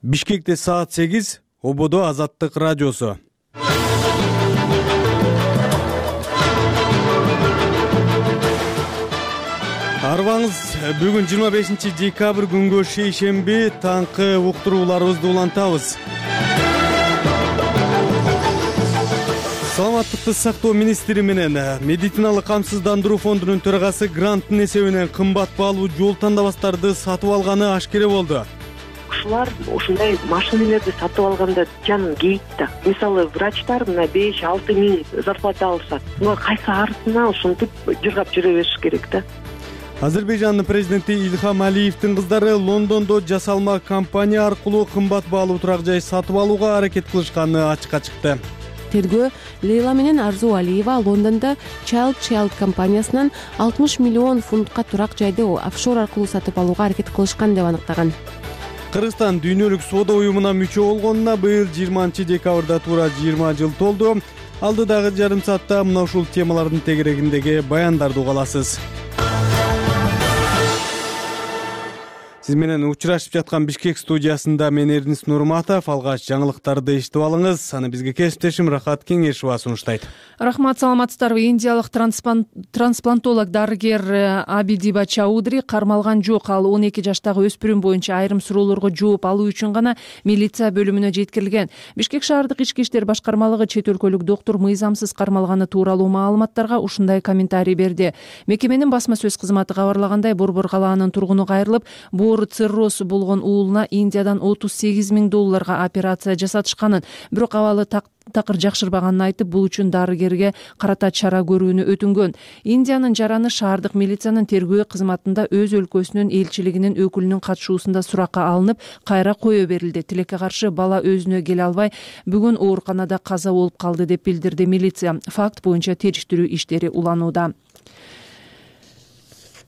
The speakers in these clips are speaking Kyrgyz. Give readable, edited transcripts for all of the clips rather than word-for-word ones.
Бишкекте саат 8, Ободо Азаттык радиосу. Арбаңыз, бүгүн 25-декабрь күнгө шейшемби таңкы уктурууларыбызды улантабыз. Саламаттыкты сактоо министри менен медициналык камсыздандыруу фондунун төрагасы гранттын эсебинен кымбат баалуу жол тандабастарды сатып алганы ашкере болду. Ушулар ушундай машиналарды сатып алганда жанын кейт да. Мисалы, врачтар мына 5-6 миң зарплата алышат. Мына кайсы арысына ушинтип жыргап жүрө бериш керек да. Азербайжандын президенти Ильхам Алиевдин кыздары Лондондо жасалма компания аркылуу кымбат баалуу турак жай сатып алууга аракет кылышканы ачыкка чыкты. Тергөө Лейла менен Арзу Алиева Лондондо Child компаниясынан 60 миллион фунтка турак жайды офшор аркылуу сатып алууга аракет кылышкан деп аныктаган. Кыргызстан дүйнөлүк соода уюмуна мүчө болгонуна быйыл 20-декабрда туура 20 жыл толду. Алдыдагы жарым саатта мына ушул темалардын тегерегиндеги баяндарды угаласыз. Сиз менен учурашып жаткан Бишкек студиясында мен Эрнис Нурматов. Алгач жаңылыктарды эшитип алыңыз. Аны бизге кесиптешим Рахат Кеңешова сунуштайт. Рахмат, саламатсыздарбы. Индиялык трансплантолог дарыгер Абидиба Чаудри кармалган жок. Ал 12 жаштагы өспүрүм боюнча айрым суроолорго жооп алуу үчүн гана милиция бөлүмүнө жеткирилген. Бишкек шаардык ички иштер башкармалыгы чет өлкөлүк доктур мыйзамсыз кармалганы тууралуу маалыматтарга ушундай комментарий берди. Мекеменин басма сөз кызматы кабарлагандай, Борбор калаанын тургуну кайрылып, цирроз болгон уулуна Индиядан $38 миң операция жасатышканын, бирок абалы такыр жакшырбаганын айтып, бул үчүн дарыгерге карата чара көрүүнү өтүнгөн. Индиянын жараны шаардык милициянын тергөө кызматында өз өлкөсүнүн элчилигинин өкүлүнүн катышуусунда суракка алынып, кайра кое берилди. Тилекке каршы бала өзүнө келе албай, бүгүн ооруканада каза болуп калды деп билдирди милиция. Факт боюнча териштирүү иштери уланууда.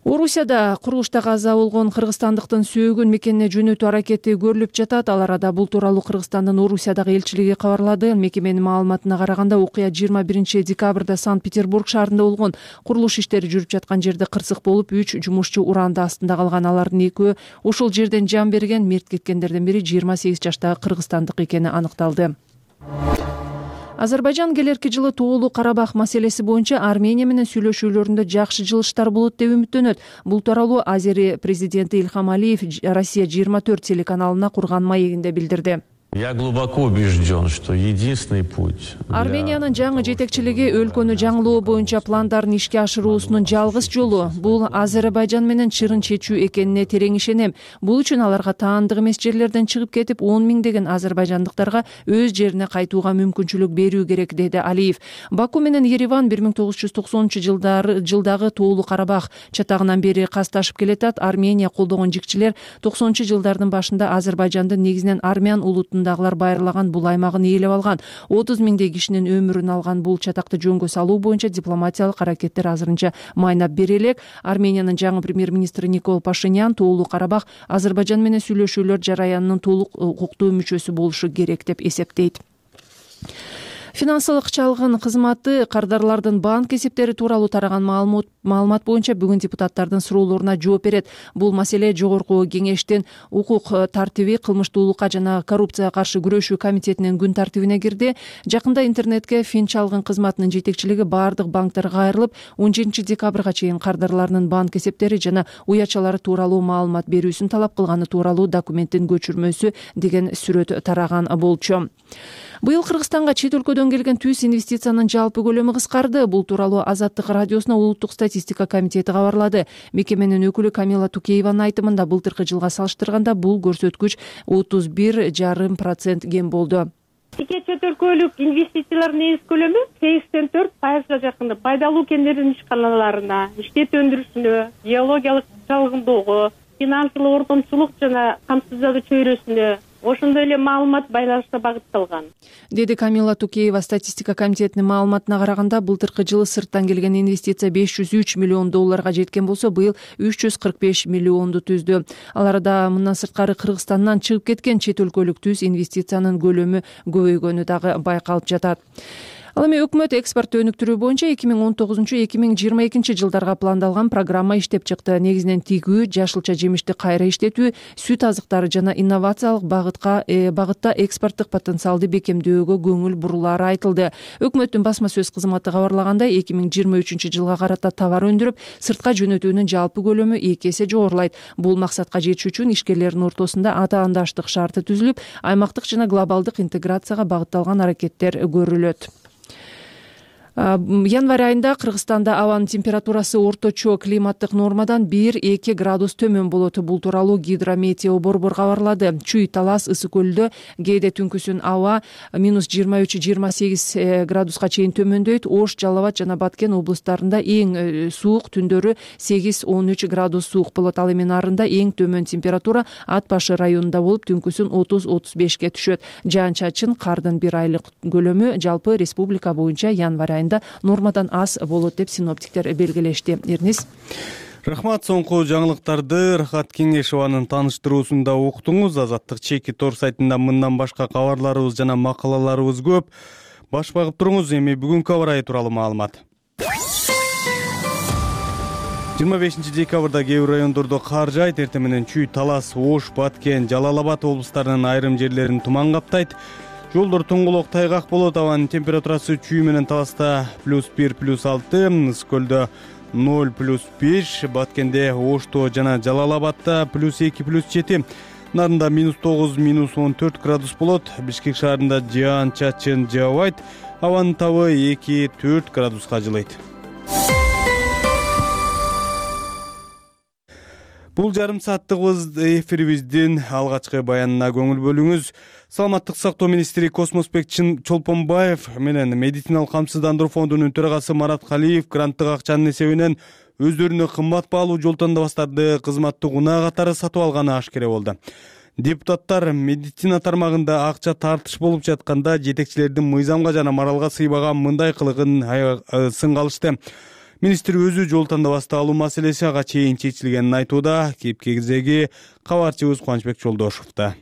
Орусияда курулушта каза болгон кыргызстандыктын сөөгүн мекенине жөнөтүү аракети көрүлүп жатат. Ал арада бул тууралуу Кыргызстандын Орусиядагы элчилиги кабарлады. Мекеменин маалыматына караганда, окуя 21-декабрда Санкт-Петербург шаарында болгон. Курулуш иштери жүрүп жаткан жерде кырсык болуп, 3 жумушчу ураанды астында калган. Алардын экөө ошол жерден жан берген. Мерт кеткендердин бири 28 жаштагы кыргызстандык экени аныкталды. Азербайжан келерки жылы Тоолуу Карабах маселеси боюнча Армения менен сүйлөшүүлөрүндө жакшы жылыштар болот деп үмүттөнөт. Бул тууралуу Азери президенти Ильхам Алиев Россия 24 телеканалына курган маегинде билдирди. Я глубоко убежден, что единственный путь. Армениянын жаңы жетекчилиги өлкөнү жаңылоо боюнча пландарын ишке ашыруусунун жалгыз жолу бул Азербайжан менен чырын чечүү экенине терең ишенем. Бул үчүн аларга таандык эмес жерлерден чыгып кетип, 10 миңдеген азербайжандыктарга өз жерине кайтууга мүмкүнчүлүк берүү керек, деди Алиев. Баку менен Ереван 1990-жылдагы Тоолуу Карабах чатагынан бери касташып келатат. Армения колдогон жикчилер 90-жылдардын башында Азербайжандын негизинен армян улутунда байырлаган бул аймагын ээлеп алган. 30 миңдей кишинин өмүрүн алган бул чатакты жөнгө салуу боюнча дипломатиялык аракеттер азырынча майнап бере элек. Армениянын жаңы премьер-министри Никол Пашинян Тоолуу Карабах Азербайжан менен сүйлөшүүлөр жараянынын толук укуктуу мүчөсү болушу керек деп эсептейт. Финансылык чалгын кызматы кардарлардын банк эсептери тууралуу тараган маалымат боюнча бүгүн депутаттардын суроолоруна жооп берет. Бул маселе жогорку кеңештин укук тартиби, кылмыштуулукка жана коррупцияга каршы күрөшүү комитетинин күн тартибине кирди. Жакында интернетке фин чалгын кызматынын жетекчилиги баардык банктерге кайрылып, 17 декабрга чейин кардарлардын банк эсептери жана уячалары тууралуу маалымат берүүсүн талап кылганы тууралуу документтин көчүрмөсү деген сүрөт тараган болчу. Быйыл Кыргызстанга чет өлкөдөн келген түз инвестициянын жалпы көлөмү кыскарды. Бул тууралуу Азаттык радиосуна улуттук статистика комитети кабарлады. Мекеменин өкүлү Камила Тукееванын айтымында, былтыркы жылга салыштырганда бул көрсөткүч 31,5% кем болду. Чет өлкөлүк инвестициялардын негиз көлөмү 84%га жакын пайдалуу кендердин ишканаларына, иштет өндүрүшүнө, геологиялык чалгындоого, финансылык ортомчулук жана камсыздоо чөйрөсүнө, ошондой эле маалымат байланышта багытталган, деди Камила Тукеева. Статистика комитетинин маалыматына караганда, былтыркы жылы сырттан келген инвестиция $503 миллион жеткен болсо, быйыл 345 миллионду түздү. Ал арада мындан сырткары Кыргызстандан чыгып кеткен чет өлкөлүк түз инвестициянын көлөмү көбөйгөнү дагы байкалып жатат. Ал эми өкмөт экспортту өнүктүрүү боюнча 2019-2022 жылдарга пландалган программа иштеп чыкты. Негизинен тигүү, жашылча жемишти кайра иштетүү, сүт азыктары жана инновациялык багытта экспорттук потенциалды бекемдөөгө көңүл бурулаары айтылды. Өкмөттүн басма сөз кызматы кабарлагандай, 2023 жылга карата товар өндүрүп, сыртка жөнөтүүнүн жалпы көлөмү 2 эсе жогорулайт. Бул максатка жетиш үчүн ишкерлердин ортосунда атаандаштык шарты түзүлүп, аймактык жана глобалдык интеграцияга багытталган аракеттер көрүлөт. Январь айында Кыргызстанда абанын температурасы орточо климаттык нормадан 1-2 градус төмөн болот. Бул тууралуу Гидрометео борбор кабарлады. Чүй, Талас, Ысык көлдө кээде түнкүсүн аба -23-28 градуска чейин төмөндөйт. Ош, Жалал Абад жана Баткен облустарында эң суук, түндөрү 8-13 градус суук болот. Ал эми нарында эң төмөн температура Ат Башы районунда болуп, түнкүсүн 30-35 түшөт. Жаан-чачын кардын 1 айлык көлөмү жалпы республика боюнча январь айында нормадан аз болот деп синоптиктер белгилешти. Эрнис. Рахмат. Соңку жаңылыктарды Рахат Кеңешованын тааныштыруусунда уктуңуз. Азаттык чеки тор сайтында мындан башка кабарларыбыз жана макалаларыбыз көп. Баш багып туруңуз. Эми бүгүнкү аба ырайы тууралуу маалымат. 25 декабрда кээ бир райондордо кар жаайт. Эртең менен Чүй, Талас, Ош, Баткен, Жалал Абад облустарынын айрым жерлерин туман каптайт. Жолдор тоңголок, тайгак болот. Абанын температурасы Чүй менен Таласта +1, +6, Ысык көлдө 0, +5, Баткенде, Ошто жана Жалал Абадта +2, +7, нарында -9, -14 градус болот. Бишкек шаарында жаан-чачын жаабайт. Абанын табы 2-4 градуска жылыйт. Бул жарым сааттык эфирибиздин алгачкы баянына көңүл бөлүңүз. Саламаттык сактоо министри Космосбек Чолпонбаев менен медициналык камсыздандыруу фондунун төрагасы Марат Калиев гранттык акчанын эсебинен өздөрүнө кымбат баалуу жол тандабастарды кызматтык унаа катары сатып алганы ашкере болду. Депутаттар медицина тармагында акча тартыш болуп жатканда жетекчилердин мыйзамга жана моралга сыйбаган мындай кылыгын сынга алышты. Министр өзү жол тандабасты алуу маселеси ага чейин чечилгенин айтууда. Кепкегиздеги кабарчыбыз Кубанычбек Жолдошовдо.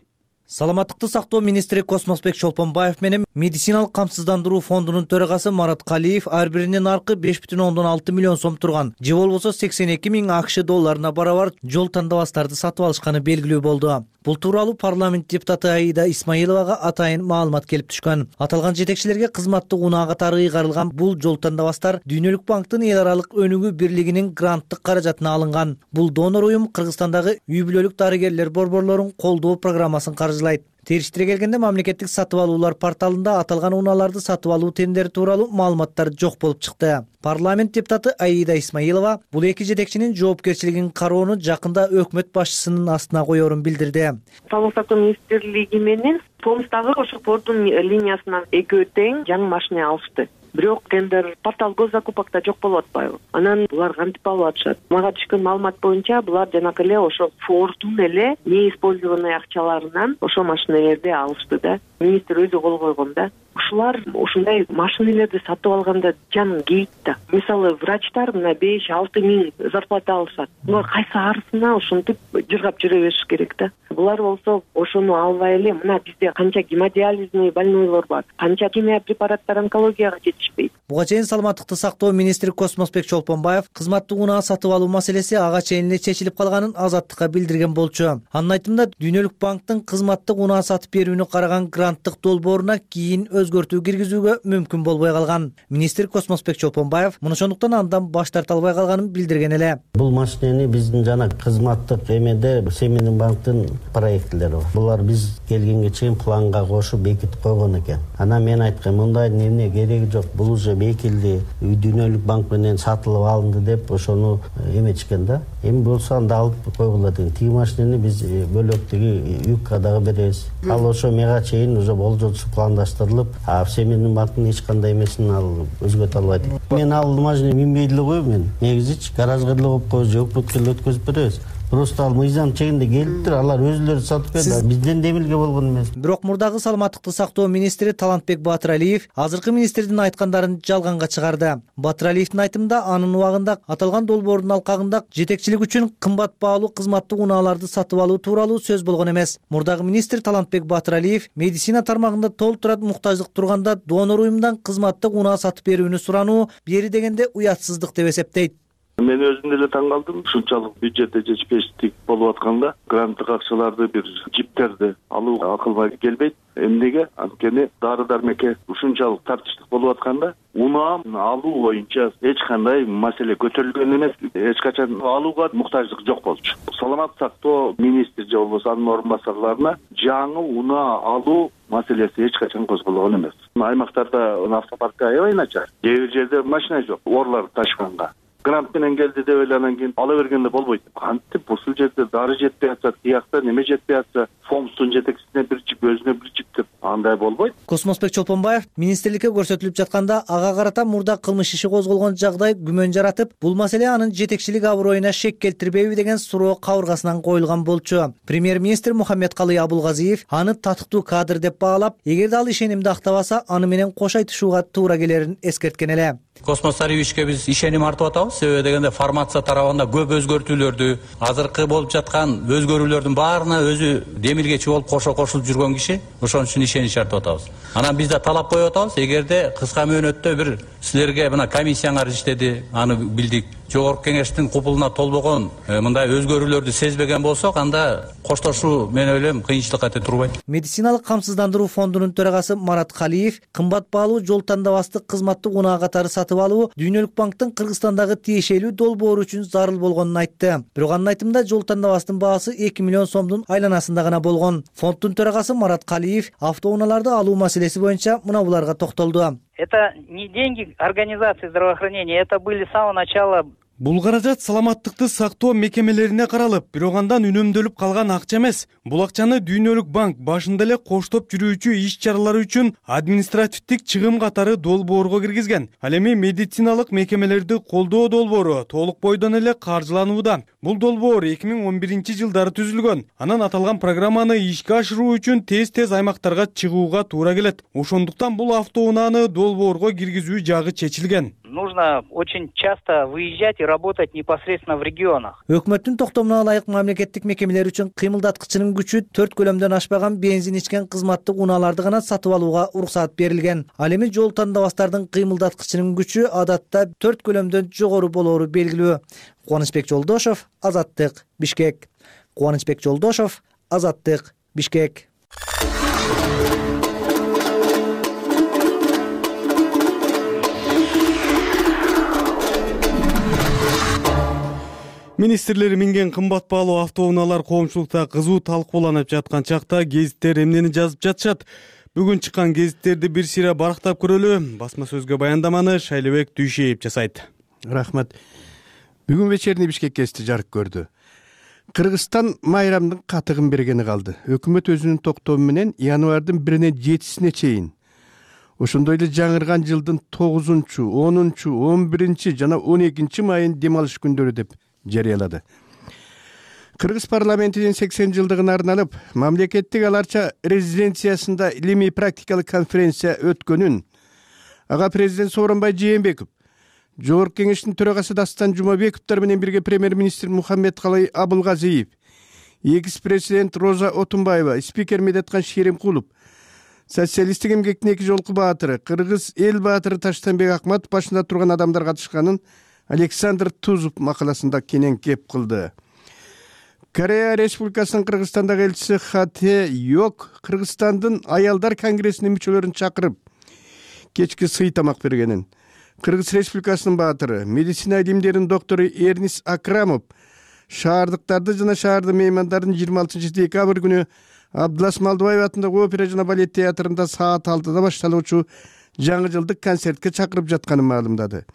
Саламаттыкты сактоо министри Космосбек Чолпонбаев менен медициналык камсыздандыруу фондунун төрагасы Марат Калиев ар биринин наркы 5,6 миллион сом турган, же болбосо 82 миң АКШ долларына барабар жол тандабастарды сатып алышканы белгилүү болду. Бул тууралуу парламент депутаты Аида Исмаиловага атайын маалымат келип түшкөн. Аталган жетекчилерге кызматтык унаа катары ыйгарылган бул жол тандабастар Дүйнөлүк банктын эл аралык өнүгүү бирлигинин гранттык каражатына алынган. Бул донор уюм Кыргызстандагы үй бүлөлүк дарыгерлер борборлорун колдоо программасын каржылайт. Териштире келгенде мамлекеттик сатып алуулар порталында аталган унааларды сатып алуу тендери тууралуу маалыматтар жок болуп чыкты. Парламент депутаты Аида Исмаилова бул эки жетекчинин жоопкерчилигин кароону жакында өкмөт башчысынын астына коерун билдирди. Саламаттык сактоо министрлиги менен Томстагы ошо пордун линиясынан экөө тең жаңы машина алышты. Бирок тендер портал госзакупокто жок болуп атпайбы? Анан булар кантип алып атышат? Мага түшкөн маалымат боюнча булар жанакы эле ошо Фордун эле неиспользованный акчаларынан ошо машинелерди алышты да. Министр өзү кол койгон да. Ушулар ушундай машинелерди сатып алганда жаным кейит да. Мисалы врачтар мына 5-6 миң зарплата алышат. Булар кайсы арысына ушинтип жыргап жүрө бериш керек да. Булар болсо ошону албай эле мына бизде канча гемодиализный больнойлор бар, канча химия препараттар онкологияга жетишпейт. Буга чейин саламаттыкты сактоо министри Космосбек Чолпонбаев кызматтык унаа сатып алуу маселеси ага чейин эле чечилип калганын Азаттыкка билдирген болчу. Анын айтымында Дүйнөлүк банктын кызматтык унаа сатып берүүнү караган гранттык долбооруна кийин өзгөртүү киргизүүгө мүмкүн болбой калган. Министр Космосбек Чолпонбаев муну ошондуктан андан баш тарта албай калганын билдирген эле. Бул машинени биздин жана кызматтык эмеде Семенин банктын проектлери бар. Булар биз келгенге чейин планга кошуп бекитип койгон экен. Анан мен айткам, мындай эмне кереги жок. Бул уже бекилди. Дүйнөлүк банк менен сатылып алынды деп ошону эметишкен да. Эми болсо анда алып койгула деген. Тиги машинени биз бөлөктөгү ЮК-дагы беребиз. Ал ошо мега чейин уже болжолчу пландаштырылып, Семенин банктын эч кандай эмесин ал өзгөртө албайт. Мен ал машинени минбей эле коем мен. Негизичи гаражга эле коюп коебуз, өкмөткө эле өткөзүп беребиз. Просто ал мыйзам чегинде келиптир, алар өзүлөрү сатып берди, бизден демилге болгон эмес. Бирок мурдагы саламаттыкты сактоо министри Талантбек Батыралиев азыркы министрдин айткандарын жалганга чыгарды. Батыралиевдин айтымында анын убагында аталган долбоордун алкагында жетекчилик үчүн кымбат баалуу кызматтык унааларды сатып алуу тууралуу сөз болгон эмес. Мурдагы министр Талантбек Батыралиев медицина тармагында толтурат муктаждык турганда донор уюмундан кызматтык унаа сатып берүүнү сурануу бери дегенде уятсыздык деп эсептейт. Мен өзүм деле таң калдым. Ушунчалык бюджетте жетишпештик болуп атканда гранттык акчаларды, бир жиптерди алуу акылга келбейт. Эмнеге? Анткени дары дармекке ушунчалык тартыштык болуп атканда унаа алуу боюнча эч кандай маселе көтөрүлгөн эмес. Эч качан алууга муктаждык жок болчу. Саламаттык сактоо министри же болбосо анын орун басарларына жаңы унаа алуу маселеси эч качан козголгон эмес. Аймактарда автопарк аябай начар. Кээ бир жерде машина жок, орлар ташканга. Грант менен келди деп эле анан кийин ала бергенде болбойт. Кантип ушул жерде дары жетпей атса, тиякта неме жетпей атса, фомстун жетекчисине бир жип, өзүнө бир жип деп андай болбойт. Космосбек Чолпонбаев министрликке көрсөтүлүп жатканда ага карата мурда кылмыш иши козголгон жагдай күмөн жаратып, бул маселе анын жетекчилик аброюна шек келтирбейби деген суроо кабыргасынан коюлган болчу. Премьер-министр Мухаммедкалый Абулгазиев аны татыктуу кадр деп баалап, эгерде ал ишенимди актабаса, аны менен кош айтышууга туура келерин эскерткен эле. Космос Сарыевичке биз ишеним артып атабыз. Себеби дегенде формация тарабында көп өзгөртүүлөрдү, азыркы болуп жаткан өзгөрүүлөрдүн баарына өзү демилгечи болуп кошулуп жүргөн киши. Ошон үчүн ишенич артып атабыз. Анан биз да талап коюп атабыз. Эгерде кыска мөөнөттө бир силерге мына комиссияңар иштеди, аны билдик. Жогорку кеңештин купулуна толбогон мындай өзгөрүүлөрдү сезбеген болсок, анда коштошуу мен ойлойм кыйынчылык кете турбайт. Медициналык камсыздандыруу фондунун төрагасы Марат Калиев кымбат баалуу жол тандабастык кызматтык унаа катары сатып алуу Дүйнөлүк банктын Кыргызстандагы тиешелүү долбоору үчүн зарыл болгонун айтты. Бирок анын айтымында жол тандабастын баасы 2 миллион сомдун айланасында гана болгон. Фонддун төрагасы Марат Калиев автоунааларды алуу маселеси боюнча мына буларга токтолду. Это не деньги организации здравоохранения, это были с самого начала. Бул каражат саламаттыкты сактоо мекемелерине каралып, бирок андан үнөмдөлүп калган акча эмес. Бул акчаны Дүйнөлүк банк башында эле коштоп жүрүүчү иш-чаралар үчүн административдик чыгым катары долбоорго киргизген. Ал эми медициналык мекемелерди колдоо долбоору толук бойдон эле каржыланууда. Бул долбоор 2011-жылдары түзүлгөн. Анан аталган программаны ишке ашыруу үчүн тез аймактарга чыгууга туура келет. Ошондуктан бул автоунааны долбоорго киргизүү жагы чечилген. Нужно очень часто выезжать и работать непосредственно в регионах. Өкмөттүн токтомуна ылайык мамлекеттик мекемелер үчүн кыймылдаткычынын күчү 4 көлөмдөн ашпаган бензин ичкен кызматтык унааларды гана сатып алууга уруксат берилген. Ал эми жол тандабастардын кыймылдаткычынын күчү адатта 4 көлөмдөн жогору болоору белгилүү. Кубанычбек Жолдошов, Азаттык, Бишкек. Кубанычбек Жолдошов, Азаттык, Бишкек. Министрлер минген кымбат баалуу автоунаалар коомчулукта кызуу талкууланып жаткан чакта гезиттер эмнени жазып жатышат? Бүгүн чыккан гезиттерди бир сыйра барактап көрөлү. Басма сөзгө баяндаманы Шайлебек Дүйшеев жасайт. Рахмат. Бүгүн вечерний Бишкек гезити жарык көрдү. Кыргызстан майрамдын катыгын бергени калды. Өкмөт өзүнүн токтому менен январдын 1-ine 7-сине чейин ошондой эле жаңырган жылдын 9-чу, 10-чу, 11-чи жана 12-чи майын дем алыш күндөрү деп жарыялады. Кыргыз парламентинин 80 жылдыгына арналып, мамлекеттик аларча резиденциясында илимий практикалык конференция өткөнүн ага президент Сооронбай Жээнбеков, Жогорку кеңештин төрагасы Дастан Жумабековдор менен бирге премьер-министр Мухаммедкалый Абулгазиев, экс-президент Роза Отунбаева, спикер Медеткан Шеримкулов, социалисттик эмгектин 2 жолку баатыры, кыргыз эл баатыры Таштанбек Акматов башында турган адамдар катышканын Александр Тузов макаласында кенен кеп кылды. Корея Республикасынын Кыргызстандагы элчиси Хате Йок Кыргызстандын аялдар конгрессинин мүчөлөрүн чакырып кечки сый тамак бергенин, Кыргыз Республикасынын баатыры, медицина илимдеринин доктору Эрнис Акрамов шаардыктарды жана шаардын меймандарын 26 декабрь күнү Абдулас Малдыбаев атындагы опера жана балет театрында саат 6-да башталуучу жаңы жылдык концертке чакырып жатканын маалымдады.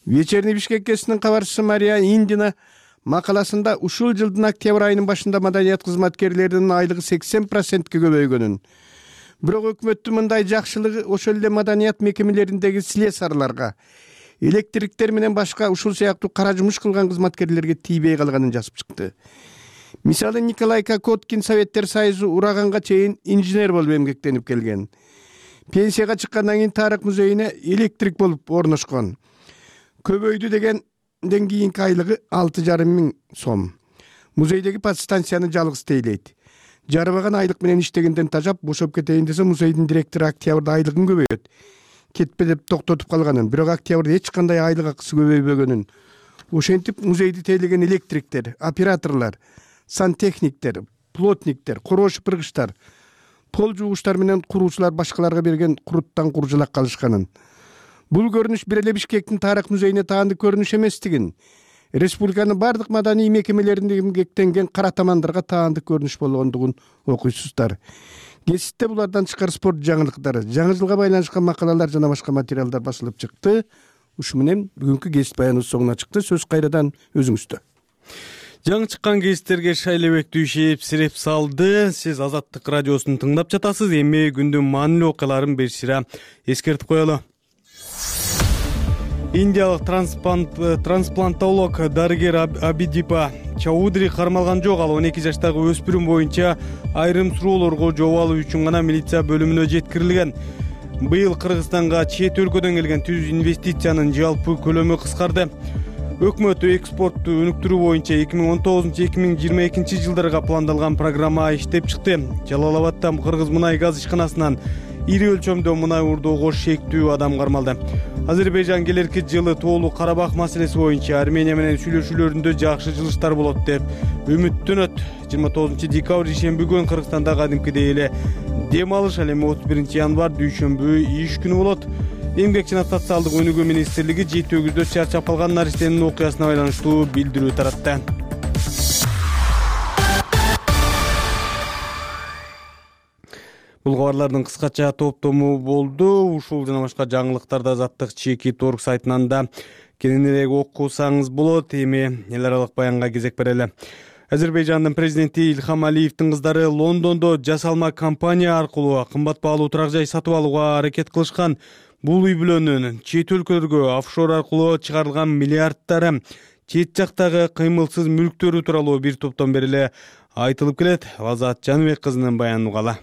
Вечерний Бишкек гезитинин кабарчысы Мария Индина макаласында ушул жылдын октябрь айынын башында маданият кызматкерлеринин айлыгы 80%ке көбөйгөнүн, бирок өкмөттүн мындай жакшылыгы ошол эле маданият мекемелериндеги слесарларга, электриктер менен башка ушул сыяктуу кара жумуш кылган кызматкерлерге тийбей калганын жазып чыкты. Мисалы Николай Кокоткин Советтер Союзу ураганга чейин инженер болуп эмгектенип келген. Пенсияга чыккандан кийин Тарых музейине электрик болуп орношкон. Көбөйдү дегенден кийинки айлыгы 6,5 миң сом. Музейдеги подстанцияны жалгыз тейлейт. Жарыбаган айлык менен иштегенден тажап бошоп кетейин десе музейдин директору октябрда айлыгын көбөйөт. Кетпе деп токтотуп калганын, бирок октябрда эч кандай айлык акысы көбөйбөгөнүн. Ошентип музейди тейлеген электриктер, операторлор, сантехниктер, плотниктер, корош пыргычтар, пол жуугучтар менен куруучулар башкаларга берген куруттан куржалак калышканын. Бул көрүнүш бир эле Бишкектин Тарых музейине таандык көрүнүш эместигин, республиканын бардык маданий мекемелеринде эмгектенген кара тамандарга таандык көрүнүш болгондугун окуйсуздар. Гезитте булардан тышкары спорт жаңылыктары, жаңы жылга байланышкан макалалар жана башка материалдар басылып чыкты. Ушу менен бүгүнкү гезит баяныбыз соңуна чыкты. Сөз кайрадан өзүңүздө. Жаңы чыккан гезиттерге шайлебек сиреп салды. Сиз Азаттык радиосун тыңдап жатасыз. Эми күндүн маанилүү окуяларын бир сыйра эскертип коелу. Индиялык трансплантолог дарыгер Абидипа Чаудри кармалган жок. Ал 12 жаштагы өспүрүм боюнча айрым суроолорго жооп алуу үчүн гана милиция бөлүмүнө жеткирилген. Быйыл Кыргызстанга чет өлкөдөн келген түз инвестициянын жалпы көлөмү кыскарды. Өкмөт экспортту өнүктүрүү боюнча 2019-2022 жылдарга пландалган программа иштеп чыкты. Жалал-Абадда Кыргыз мунай газ ишканасынан ири өлчөмдө мунай урдоого шектүү адам кармалды. Азербайжан келерки жылы тоолуу Карабах маселеси боюнча Армения менен сүйлөшүүлөрүндө жакшы жылыштар болот деп үмүттөнөт. 29 декабрь ишемби күнү Кыргызстанда кадимкидей эле дем алыш, ал эми 31 январь дүйшөмбү иш күнү болот. Эмгек жана социалдык өнүгүү министрлиги жети өгүздө чарчап калган нариштенин окуясына байланыштуу билдирүү таратты. Бул кабарлардын кыскача топтому болду. Ушул жана башка жаңылыктарды Азаттык Чеки.org сайтынан да кененирээк окусаңыз болот. Эми эл аралык баянга кезек берели. Азербайжандын президенти Ильхам Алиевдин кыздары Лондондо жасалма компания аркылуу кымбат баалуу турак жай сатып алууга аракет кылышкан. Бул үй бүлөнүн чет өлкөлөргө офшор аркылуу чыгарылган миллиарддары, чет жактагы кыймылсыз мүлктөрү тууралуу бир топтон бери эле айтылып келет. Азат Жаныбек кызынын баянын угалы.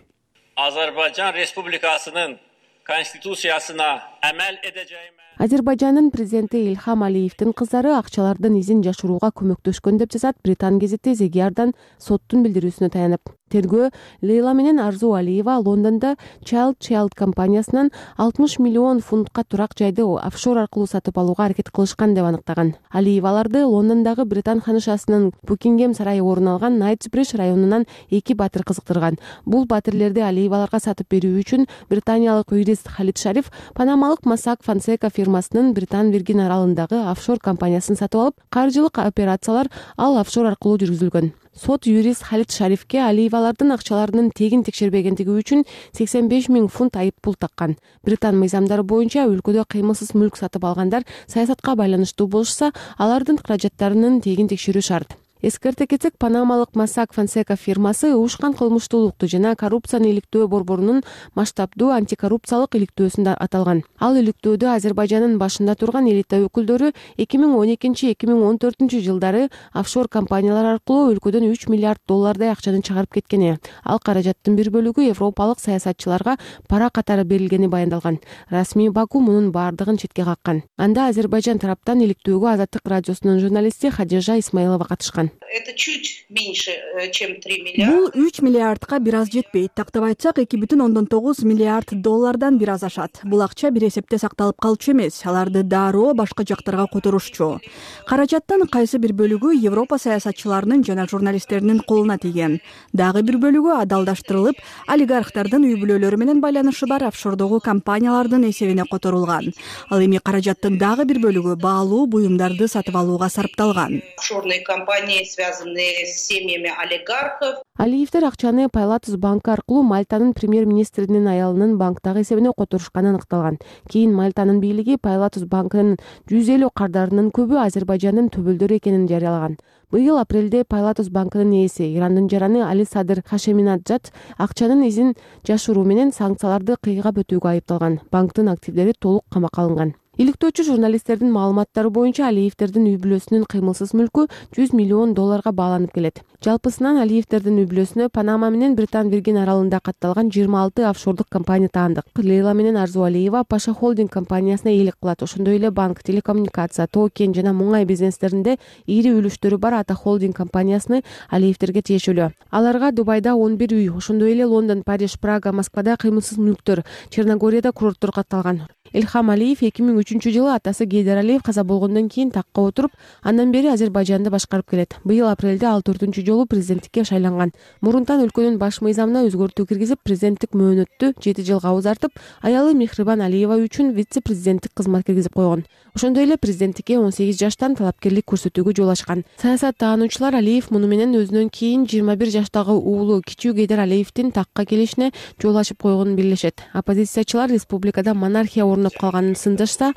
Азербайжан Республикасынын конституциясына амал эдежейм. Азербайжандын президенти Ильхам Алиевдин кыздары акчалардын изин жашырууга көмөктөшкөн деп жазат Британ гезити The Guardian соттун билдирүүсүнө таянып. Тергөө Лейла менен Арзу Алиева Лондондо Child компаниясынан 60 миллион фунтка турак жайды офшор аркылуу сатып алууга аракет кылышкан деп аныктаган. Алиеваларды Лондондогу Британ ханышасынын Букингем сарайы орун алган Найтсбридж районунан 2 батыр кызыктырган. Бул батирлерди Алиеваларга сатып берүү үчүн британиялык юрист Халид Шариф панамалык Mossack Fonseca фирмасынын Британ Виргин аралындагы офшор компаниясын сатып алып, каржылык операциялар ал офшор аркылуу жүргүзүлгөн. Сот юрист Халид Шарифке Алиевалардын акчаларынын тегин текшербегендиги үчүн 85 000 фунт айып пул таккан. Британ мыйзамдары боюнча өлкөдө кыймылсыз мүлк сатып алгандар саясатка байланыштуу болушса, алардын каражаттарынын тегин текшерүү шарт. Эскерте кетсек, панамалык Mossack Fonseca фирмасы уушкан кылмыштуулукту жана коррупцияны иликтөө борборунун масштабдуу антикоррупциялык иликтөөсүндө аталган. Ал иликтөөдө Азербайжандын башында турган элита өкүлдөрү 2012-2014 жылдары офшор компаниялар аркылуу өлкөдөн 3 миллиард доллардай акчаны чыгарып кеткени. Ал каражаттын бир бөлүгү европалык саясатчыларга пара катары берилгени баяндалган. Расмий Баку мунун баардыгын четке каккан. Анда Азербайжан тараптан иликтөөгө Азаттык радиосунун журналисти Хадижа Исмаилова катышкан. Это чуть меньше, чем 3 миллиарда. Бул 3 миллиардка бир аз жетпейт. Тактап айтсак, 2,9 миллиард доллардан бир аз ашат. Бул акча бир эсепте сакталып калчу эмес, аларды дароо башка жактарга которушчу. Каражаттын кайсы бир бөлүгү Европа саясатчыларынын жана журналисттеринин колуна тийген. Дагы бир бөлүгү адалдаштырылып, олигархтардын үй бүлөлөрү менен байланышы бар офшордогу компаниялардын эсебине которулган. Ал эми каражаттын дагы бир бөлүгү баалуу буюмдарды сатып алууга сарпталган. Офшорные компании, связанные с семьями олигархов. Алиевдер акчаны Пайлатус банкы аркылуу Мальтанын премьер-министринин аялынын банктагы эсебине которушканы аныкталган. Кийин Мальтанын бийлиги Пайлатус банкынын 150 кардарынын көбү Азербайжандын төбөлдөрү экенин жарыялаган. Быйыл апрелде Пайлатус банкынын ээси Ирандын жараны Али Садыр Хашеминаджад акчанын изин жашыруу менен санкцияларды кыйгап өтүүгө айыпталган. Банктын активдери толук камакка алынган. Иликтөөчү журналисттердин маалыматтары боюнча Алиевдердин үй бүлөсүнүн кыймылсыз мүлкү $100 миллион баланып келет. Жалпысынан Алиевдердин үй бүлөсүнө Панама менен Британ Виргин аралында катталган 26 офшордук компания таандык. Лейла менен Арзу Алиева Паша холдинг компаниясына ээлик кылат. Ошондой эле банк, телекоммуникация, токен жана муңай бизнестеринде ири үлүштөрү бар Ата холдинг компаниясыны Алиевдерге тиешелүү. Аларга Дубайда 11 үй, ошондой эле Лондон, Париж, Прага, Москвада кыймылсыз мүлктөр, Черногорияда курорттор катталган. Илхам Алиев 2003-жылы атасы Гейдар Алиев каза болгондон кийин такка отуруп, андан бери Азербайжанды башкарып келет. Быйыл апрелде ал 4-жолу президенттикке шайланган. Мурунтан өлкөнүн баш мыйзамына өзгөртүү киргизип, президенттик мөөнөттү 7 жылга узартып, аялы Мехрибан Алиева үчүн вице-президенттик кызмат киргизип койгон. Ошондой эле президенттикке 18 жаштан талапкерлик көрсөтүүгө жол ачкан. Саясаттаануучулар Алиев муну менен өзүнөн кийин 21 жаштагы уулу Кичүү Гейдар Алиевдин такка келишине жол ачып койгонун билишет. Оппозициячылар республикада монархия орноп калганын сындашса,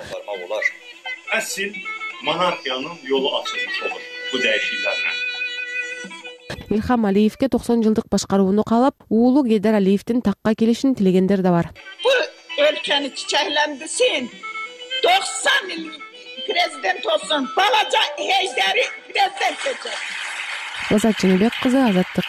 Əsl monarxiyanın yolu açılmış olur bu dəyişikliklərlə. Илхам Алиевке 90 жылдык башкарууну каалап, уулу Гейдар Алиевдин такка келишин тилегендер да бар. Bu өлкөнү çiçeklendirsin. 90 yıl prezident olsun. Balaca Heydar'ı prezident edecek. Азат Жаныбек кызы, Азаттык.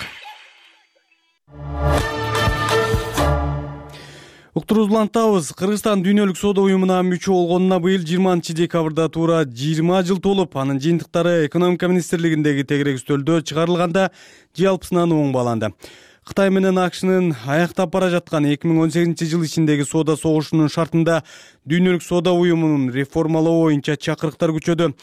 Уктуруубузду улантабыз. Кыргызстан Дүйнөлүк соода уюмуна мүчө болгонуна быйыл 20-декабрда туура 20 жыл толуп, анын жыйынтыктары экономика министрлигиндеги тегерек үстөлдө чыгарылганда жалпысынан оң бааланды. Кытай менен АКШнын аяктап бара жаткан 2018-жыл ичиндеги соода согушунун шартында Дүйнөлүк соода уюмунун реформалоо боюнча чакырыктар күчөдү.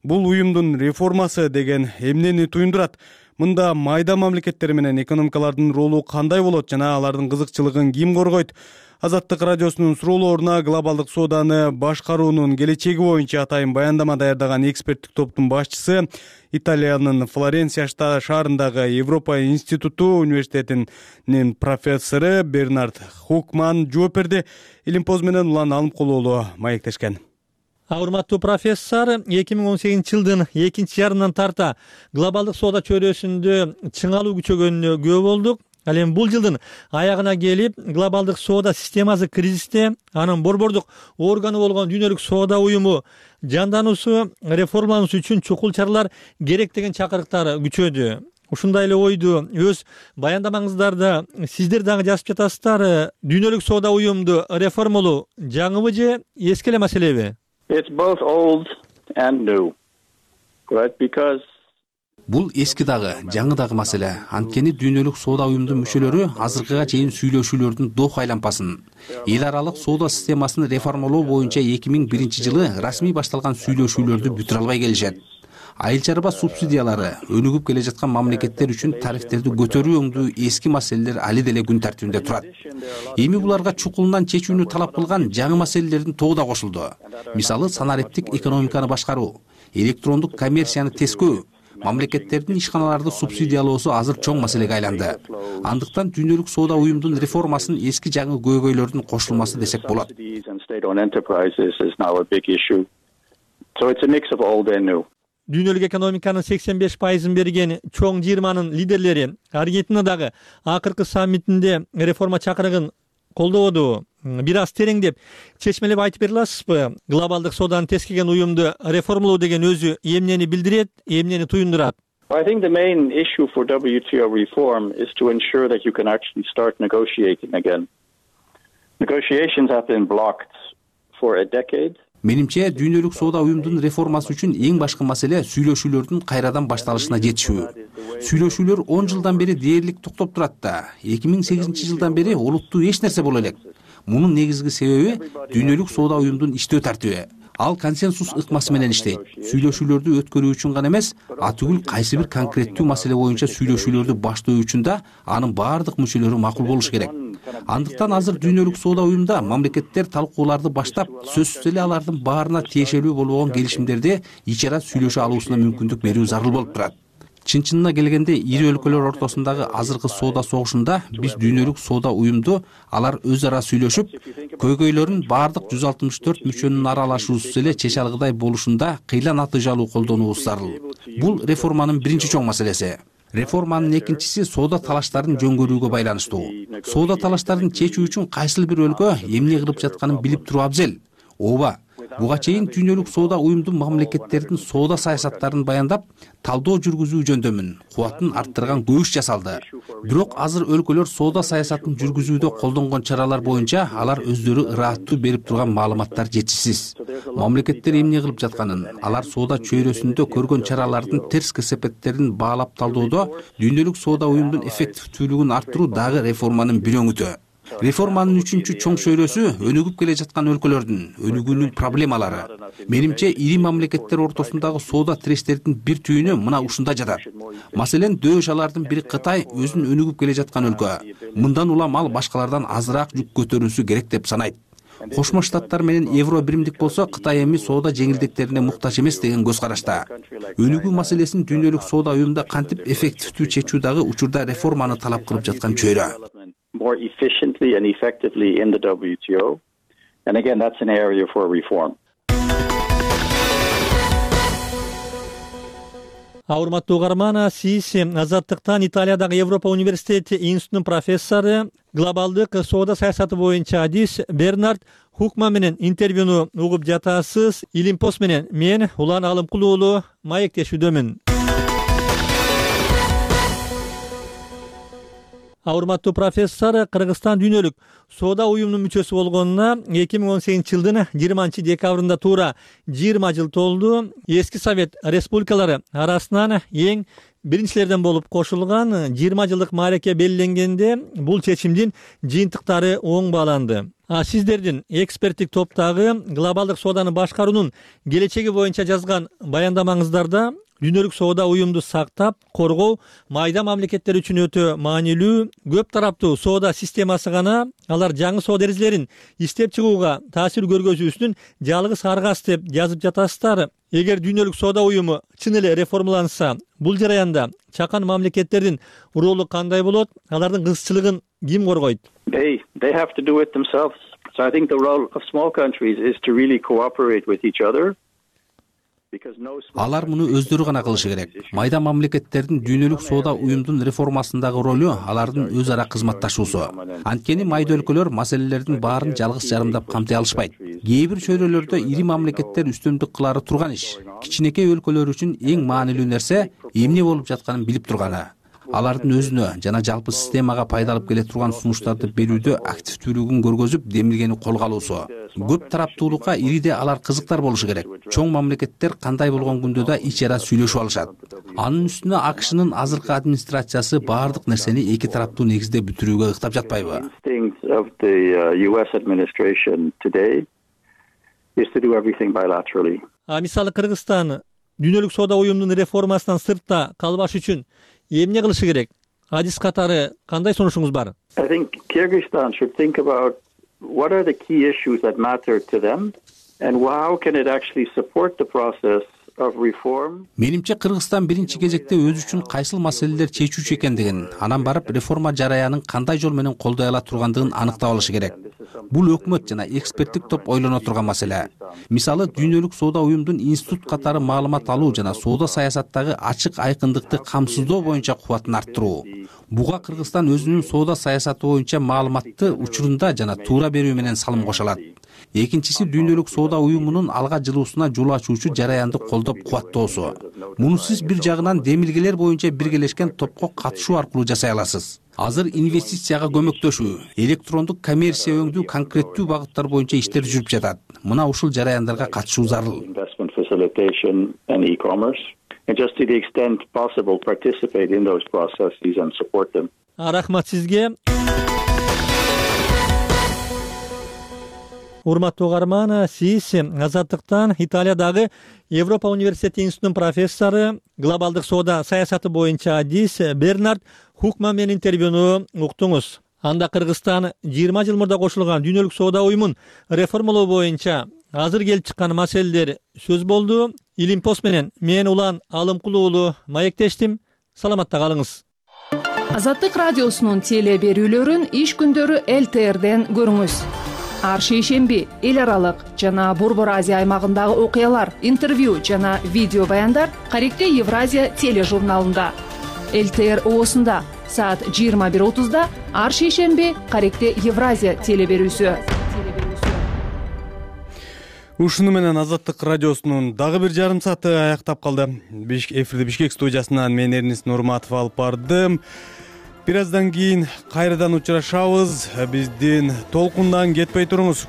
Бул уюмдун реформасы деген эмнени туюндурат? Мында майда мамлекеттер менен экономикалардын ролу кандай болот жана алардын кызыкчылыгын ким коргойт? Азаттык радиосунун суроолоруна глобалдык сооданы башкаруунун келечеги боюнча атайын баяндама даярдаган эксперттик топтун башчысы, Италиянын Флоренция шаарындагы Европа институту университетинин профессору Бернард Хукман жооп берди. Илимпоз менен улан Алымкулуулу маектешкен. Урматтуу профессор, 2018-жылдын экинчи жарымынан тарта глобалдык соода чөйрөсүндө чыңалуу күчөгөнүнө күбө болдук. Ал эми бул жылдын аягына келип, глобалдык соода системасы кризисте, анын борбордук органы болгон Дүйнөлүк соода уюму жандануусу, реформалануусу үчүн чукул чаралар керек деген чакырыктар күчөдү. Ушундай эле ойду өз баяндамаңыздарда сиздер дагы жазып жатасыздар. Дүйнөлүк соода уюмду реформалоо жаңыбы же эски эле маселеби? It's both old and new. Right? Because бул эски дагы, жаңы дагы маселе. Анткени Дүйнөлүк соода уюмунун мүчөлөрү азыркыга чейин сүйлөшүүлөрдүн дох айланпасын, эл аралык соода системасын реформалоо боюнча 2001-жылы расмий башталган сүйлөшүүлөрдү бүтүрө албай келишет. Айыл чарба субсидиялары, өнүгүп келе жаткан мамлекеттер үчүн тарифтерди көтөрүү өңдүү эски маселелер али деле күн тартибинде турат. Эми буларга чукулунан чечүүнү талап кылган жаңы маселелердин тобу да кошулду. Мисалы, санариптик экономиканы башкаруу, электрондук коммерцияны тескөө, мамлекеттердин ишканаларды субсидиялоосу азыр чоң маселеге айланды. Андыктан Дүйнөлүк соода уюмунун реформасын эски жаңы көйгөйлөрдүн кошулмасы десек болот. Дүйнөлүк экономиканын 85% берген чоң 20-нын лидерлери Аргентинадагы акыркы саммитинде реформа чакырыгын колдободу. Бир аз тереңдеп, чечмелеп айтып бере аласызбы? Глобалдык сооданы тескеген уюмду реформалоо деген өзү эмнени билдирет, эмнени туюндурат? I think the main issue for WTO reform is to ensure that you can actually start negotiating again. Negotiations have been blocked for a decade. Менимче, Дүйнөлүк соода уюмунун реформасы үчүн эң башкы маселе сүйлөшүүлөрдүн кайрадан башталышына жетишүү. Сүйлөшүүлөр 10 жылдан бери дээрлик токтоп турат да. 2008-жылдан бери олуттуу эч нерсе боло элек. Мунун негизги себеби Дүйнөлүк соода уюмунун иштөө тартиби. Ал консенсус ыкмасы менен иштейт. Сүйлөшүүлөрдү өткөрүү үчүн гана эмес, атүгүл кайсы бир конкреттүү маселе боюнча сүйлөшүүлөрдү баштоо үчүн да анын баардык мүчөлөрү макул болуш керек. Андыктан азыр Дүйнөлүк соода уюмунда мамлекеттер талкууларды баштап, сөзсүз эле алардын баарына тиешелүү болгон келишимдерди ичара сүйлөшө алуусуна мүмкүндүк берүү зарыл болуп турат. Чын-чынына келгенде ири өлкөлөр ортосундагы азыркы соода согушунда биз Дүйнөлүк соода уюмду алар өз ара сүйлөшүп, көйгөйлөрүн баардык 164 мүчөнүн аралашуусуз эле чече алгыдай болушунда кыйла натыйжалуу колдонуубуз зарыл. Бул реформанын биринчи чоң маселеси. Реформанын экинчиси соода талаштарын жөнгөрүүгө байланыштуу. Соода талаштарын чечүү үчүн кайсыл бир өлкө эмне кылып жатканын билип туруу абзел. Ооба, Буга чейин дүйнөлүк соода уюмду мамлекеттердин соода саясаттарын баяндап, талдоо жүргүзүү жөндөмүн, кубатын арттырган көп иш жасалды. Бирок азыр өлкөлөр соода саясатын жүргүзүүдө колдонгон чаралар боюнча алар өздөрү ырааттуу берип турган маалыматтар жетишсиз. Мамлекеттер эмне кылып жатканын, алар соода чөйрөсүндө көргөн чаралардын терс кесепеттерин баалап талдоодо дүйнөлүк соода уюмдун эффективдүүлүгүн арттыруу дагы реформанын бир өңүтү. Реформанын үчүнчү чоң чөйрөсү өнүгүп келе жаткан өлкөлөрдүн өнүгүүнүн проблемалары. Менимче ири мамлекеттер ортосундагы соода тирештердин бир түйүнү мына ушунда жатат. Маселен, дөш алардын бири Кытай өзүн өнүгүп келе жаткан өлкө. Мындан улам ал башкалардан азыраак жүк көтөрүүсү керек деп санайт. Кошмо Штаттар менен Евро биримдик болсо, Кытай эми соода жеңилдиктерине муктаж эмес деген көз карашта. Өнүгүү маселесин дүйнөлүк соода уюмунда кантип эффективдүү чечүү дагы учурда реформаны талап кылып жаткан чөйрө. More efficiently and effectively in the WTO. And again, that's an area for reform. Урматтуу угарман, сиз Азаттыктан Италиядагы Европа университети институтунун профессору, глобалдык соода саясаты боюнча адис Бернард Хукман менен интервьюну угуп жатасыз. Илимпост менен мен Улан Алымкул уулу маектешүүдөмүн. Урматтуу профессор, Кыргызстан дүйнөлүк соода уюмунун мүчөсү болгонуна 2018-жылдын 20-декабрында туура 20 жыл толду. Эски Совет республикалары арасынан эң биринчилерден болуп кошулган 20 жылдык маареке белгиленгенде бул чечимдин жыйынтыктары оң бааланды. Сиздердин эксперттик топтогу глобалдык сооданы башкаруунун келечеги боюнча жазган баяндамаңыздарда дүйнөлүк соода уюмду сактап, коргоо майда мамлекеттер үчүн өтө маанилүү. Көп тараптуу соода системасы гана алар жаңы соода эрежелерин иштеп чыгууга таасир көргөзүү үчүн жалгыз аргас деп жазып жатасыздар. Эгер дүйнөлүк соода уюму чын эле реформаланса, бул жараянда чакан мамлекеттердин ролу кандай болот? Алардын кызыкчылыгын ким коргойт? They have to do it themselves. So I think the role of small countries is to really cooperate with each other. Алар муну өздөрү гана кылышы керек. Майда мамлекеттердин дүйнөлүк соода уюмдун реформасындагы ролу алардын өз ара кызматташуусу. Анткени майда өлкөлөр маселелердин баарын жалгыз жарымдап камтый алышпайт. Кээ бир чөйрөлөрдө ири мамлекеттер үстөмдүк кылары турган иш. Кичинекей өлкөлөр үчүн эң маанилүү нерсе эмне болуп жатканын билип турганы. Алардын өзүнө жана жалпы системага пайда алып келе турган сунуштарды берүүдө активдүүлүгүн көргөзүп, демилгени колго алуусу. Көп тараптуулукка ириде алар кызыктар болушу керек. Чоң мамлекеттер кандай болгон күндө да ич ара сүйлөшүп алышат. Анын үстүнө АКШнын азыркы администрациясы баардык нерсени эки тараптуу негизде бүтүрүүгө ыктап жатпайбы? Мисалы Кыргызстан дүйнөлүк соода уюмунун реформасынан сыртта калбаш үчүн эмне кылышы керек? Адис катары кандай сунушуңуз бар? I think Kyrgyzstan should think about what are the key issues that matter to them and how can it actually support the process of reform. Менимче Кыргызстан биринчи кезекте өзү үчүн кайсыл маселелер чечүүчү экендигин, анан барып реформа жараянын кандай жол менен колдой ала тургандыгын аныктап алышы керек. Бул өкмөт жана эксперттик топ ойлоно турган маселе. Мисалы, дүйнөлүк соода уюмдун институт катары маалымат алуу жана соода саясаттагы ачык айкындыкты камсыздоо боюнча кубатын арттыруу. Буга Кыргызстан өзүнүн соода саясаты боюнча маалыматты учурунда жана туура берүү менен салым кошо алат. Экинчиси, дүйнөлүк соода уюмунун алга жылуусуна жол ачуучу жараянды колдоп кубаттоосу. Муну сиз бир жагынан демилгелер боюнча биргелешкен топко катышуу аркылуу жасай аласыз. Азыр инвестицияга көмөктөшүү, электрондук коммерция өңдүү конкреттүү багыттар боюнча иштер жүрүп жатат. Мына ушул жараяндарга катышуу зарыл. And just to the extent possible participate in those processes and support them. Рахмат сизге. Урматтуу угарман, сиз Азаттыктан Италиядагы Европа университети институтунун профессору, глобалдык соода саясаты боюнча адис Бернард Хукман менен интервьюну уктуңуз. Анда Кыргызстан 20 жыл мурда кошулган дүйнөлүк соода уюмун реформалоо боюнча азыр келип чыккан маселелер сөз болду. Илимпост менен мен Улан Алымкул уулу маектештим. Саламатта калыңыз. Азаттык радиосунун теле берүүлөрүн иш күндөрү ЛТРден көрүңүз. Ар шейшемби эл аралык жана Борбор Азия аймагындагы окуялар, интервью жана видео баяндар Каректе Евразия тележурналында. ЛТР оосунда саат 21:30да ар шейшемби Каректе Евразия теле берүүсү. Ушуну менен Азаттык радиосунун дагы бир жарым сааты аяктап калды. Эфирди Бишкек студиясынан мен Эрнис Нурматов алып бардым. Бир аздан кийин кайрадан учурашабыз. Биздин толкундан кетпей туруңуз.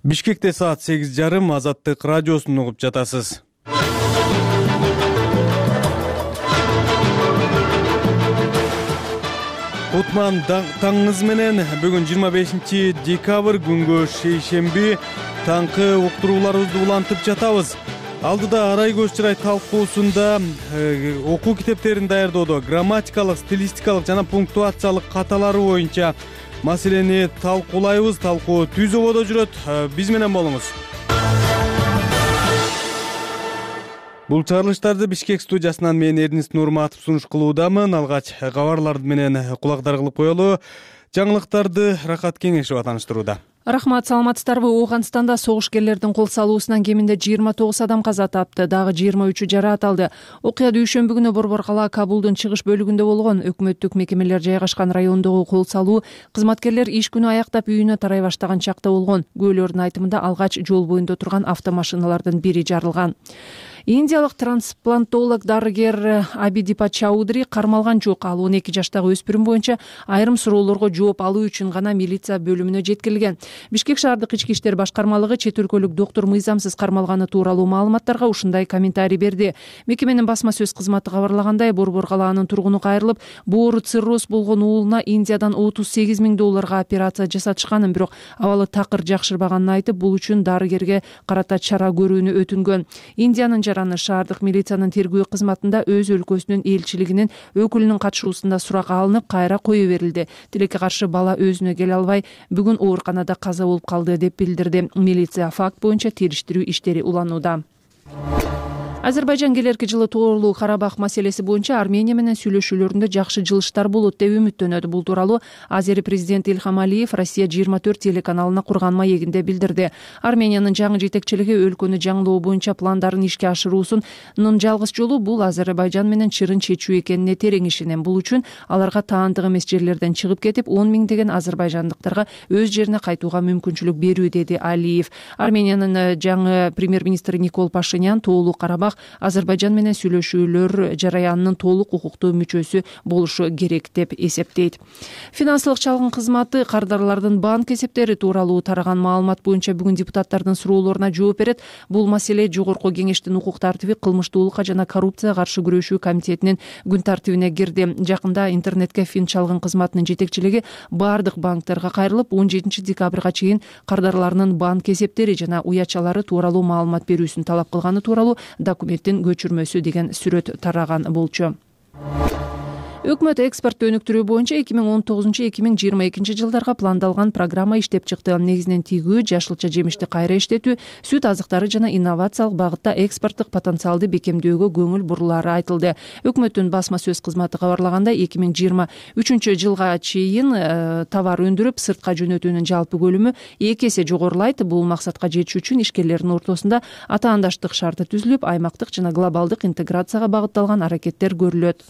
Бишкекте саат 8:30 Азаттык радиосун угуп жатасыз. Кутман таңыңыз менен бүгүн 25 декабрь күнгө шейшемби таңкы уктурууларыбызды улантып жатабыз. Алдыда арай көз чырай талкуусунда окуу китептерин даярдоодо грамматикалык, стилистикалык жана пунктуациялык каталары боюнча маселени талкуулайбыз. Талкуу түз ободо жүрөт. Биз менен болуңуз. Бул чыгарылыштарды Бишкек студиясынан мен Эрнис Нурматов сунуш кылуудамын. Алгач кабарлар менен кулактар кылып коелу. Жаңылыктарды Рахат Кеңешова таныштырууда. Рахмат, саламатсыздарбы? Ооганстанда согушкерлердин кол салуусунан кеминде 29 адам каза тапты, дагы 23 жараат алды. Окуя дүйшөмбү күнү Борбор кала Кабулдун чыгыш бөлүгүндө болгон. Өкмөттүк мекемелер жайгашкан райондогу кол салуу кызматкерлер иш күнү аяктап үйүнө тарай баштаган чакта болгон. Күбөлөрдүн айтымында алгач жол боюнда турган автомашиналардын бири жарылган. Индиялык трансплантолог дарыгер Абидипа Чаудри кармалган жок. Ал 12 жаштагы өспүрүм боюнча айрым суроолорго жооп алуу үчүн гана милиция бөлүмүнө жеткирилген. Бишкек шаардык ички иштер башкармалыгы чет өлкөлүк доктур мыйзамсыз кармалганы тууралуу маалыматтарга ушундай комментарий берди. Мекеменин басма сөз кызматы кабарлагандай, Борбор калаанын тургуну кайрылып, боору цирроз болгон уулуна Индиядан $38 000 операция жасатышканын, бирок абалы такыр жакшырбаганын айтып, бул үчүн дарыгерге карата чара көрүүнү өтүнгөн. Индиянын жараны шаардык милициянын тергөө кызматында өз өлкөсүнүн элчилигинин өкүлүнүн катышуусунда сурак алынып, кайра кое берилди. Тилекке каршы бала өзүнө келе албай, бүгүн ооруканада каза болуп калды деп билдирди. Милиция факт боюнча териштирүү иштери уланууда. Азербайжан келерки жылы Тоолуу Карабах маселеси боюнча Армения менен сүйлөшүүлөрүндө жакшы жылыштар болот деп үмүттөнөт. Бул тууралуу Азери президенти Ильхам Алиев Россия 24 телеканалына курган маегинде билдирди. Армениянын жаңы жетекчилиги өлкөнү жаңылоо боюнча пландарын ишке ашыруусунун жалгыз жолу бул Азербайжан менен чырын чечүү экенине терең ишенем. Бул үчүн аларга таандык эмес жерлерден чыгып кетип, 10 миңдеген азербайжандыктарга өз жерине кайтууга мүмкүнчүлүк берүү, деди Алиев. Армениянын жаңы премьер-министри Никол Пашинян Тоолуу Карабах Азербайжан менен сүйлөшүүлөр жараянынын толук укуктуу мүчөсү болушу керек деп эсептейт. Финансылык чалгын кызматы кардарлардын банк эсептери тууралуу тараган маалымат боюнча бүгүн депутаттардын суроолоруна жооп берет. Бул маселе Жогорку кеңештин укук тартиби, кылмыштуулукка жана коррупцияга каршы күрөшүү комитетинин күн тартибине кирди. Жакында интернетке фин чалгын кызматынын жетекчилиги бардык банктерге кайрылып, 17 декабрга чейин кардарларынын банк эсептери жана уячалары тууралуу маалымат берүүсүн талап кылганы тууралуу документтин көчүрмөсү деген сүрөт тараган болчу. Өкмөт экспорт өнүктүрүү боюнча 2019-2022 жылдарга пландалган программа иштеп чыкты. Негизинен тигүү, жашылча жемишти кайра иштетүү, сүт азыктары жана инновациялык багытта экспорттук потенциалды бекемдөөгө көңүл бурулаары айтылды. Өкмөттүн басма сөз кызматы кабарлагандай, 2023 жылга чейин товар өндүрүп, сыртка жөнөтүүнүн жалпы көлүмү 2 эсе жогорулайт. Бул максатка жетиш үчүн ишкерлердин ортосунда атаандаштык шарты түзүлүп, аймактык жана глобалдык интеграцияга багытталган аракеттер көрүлөт.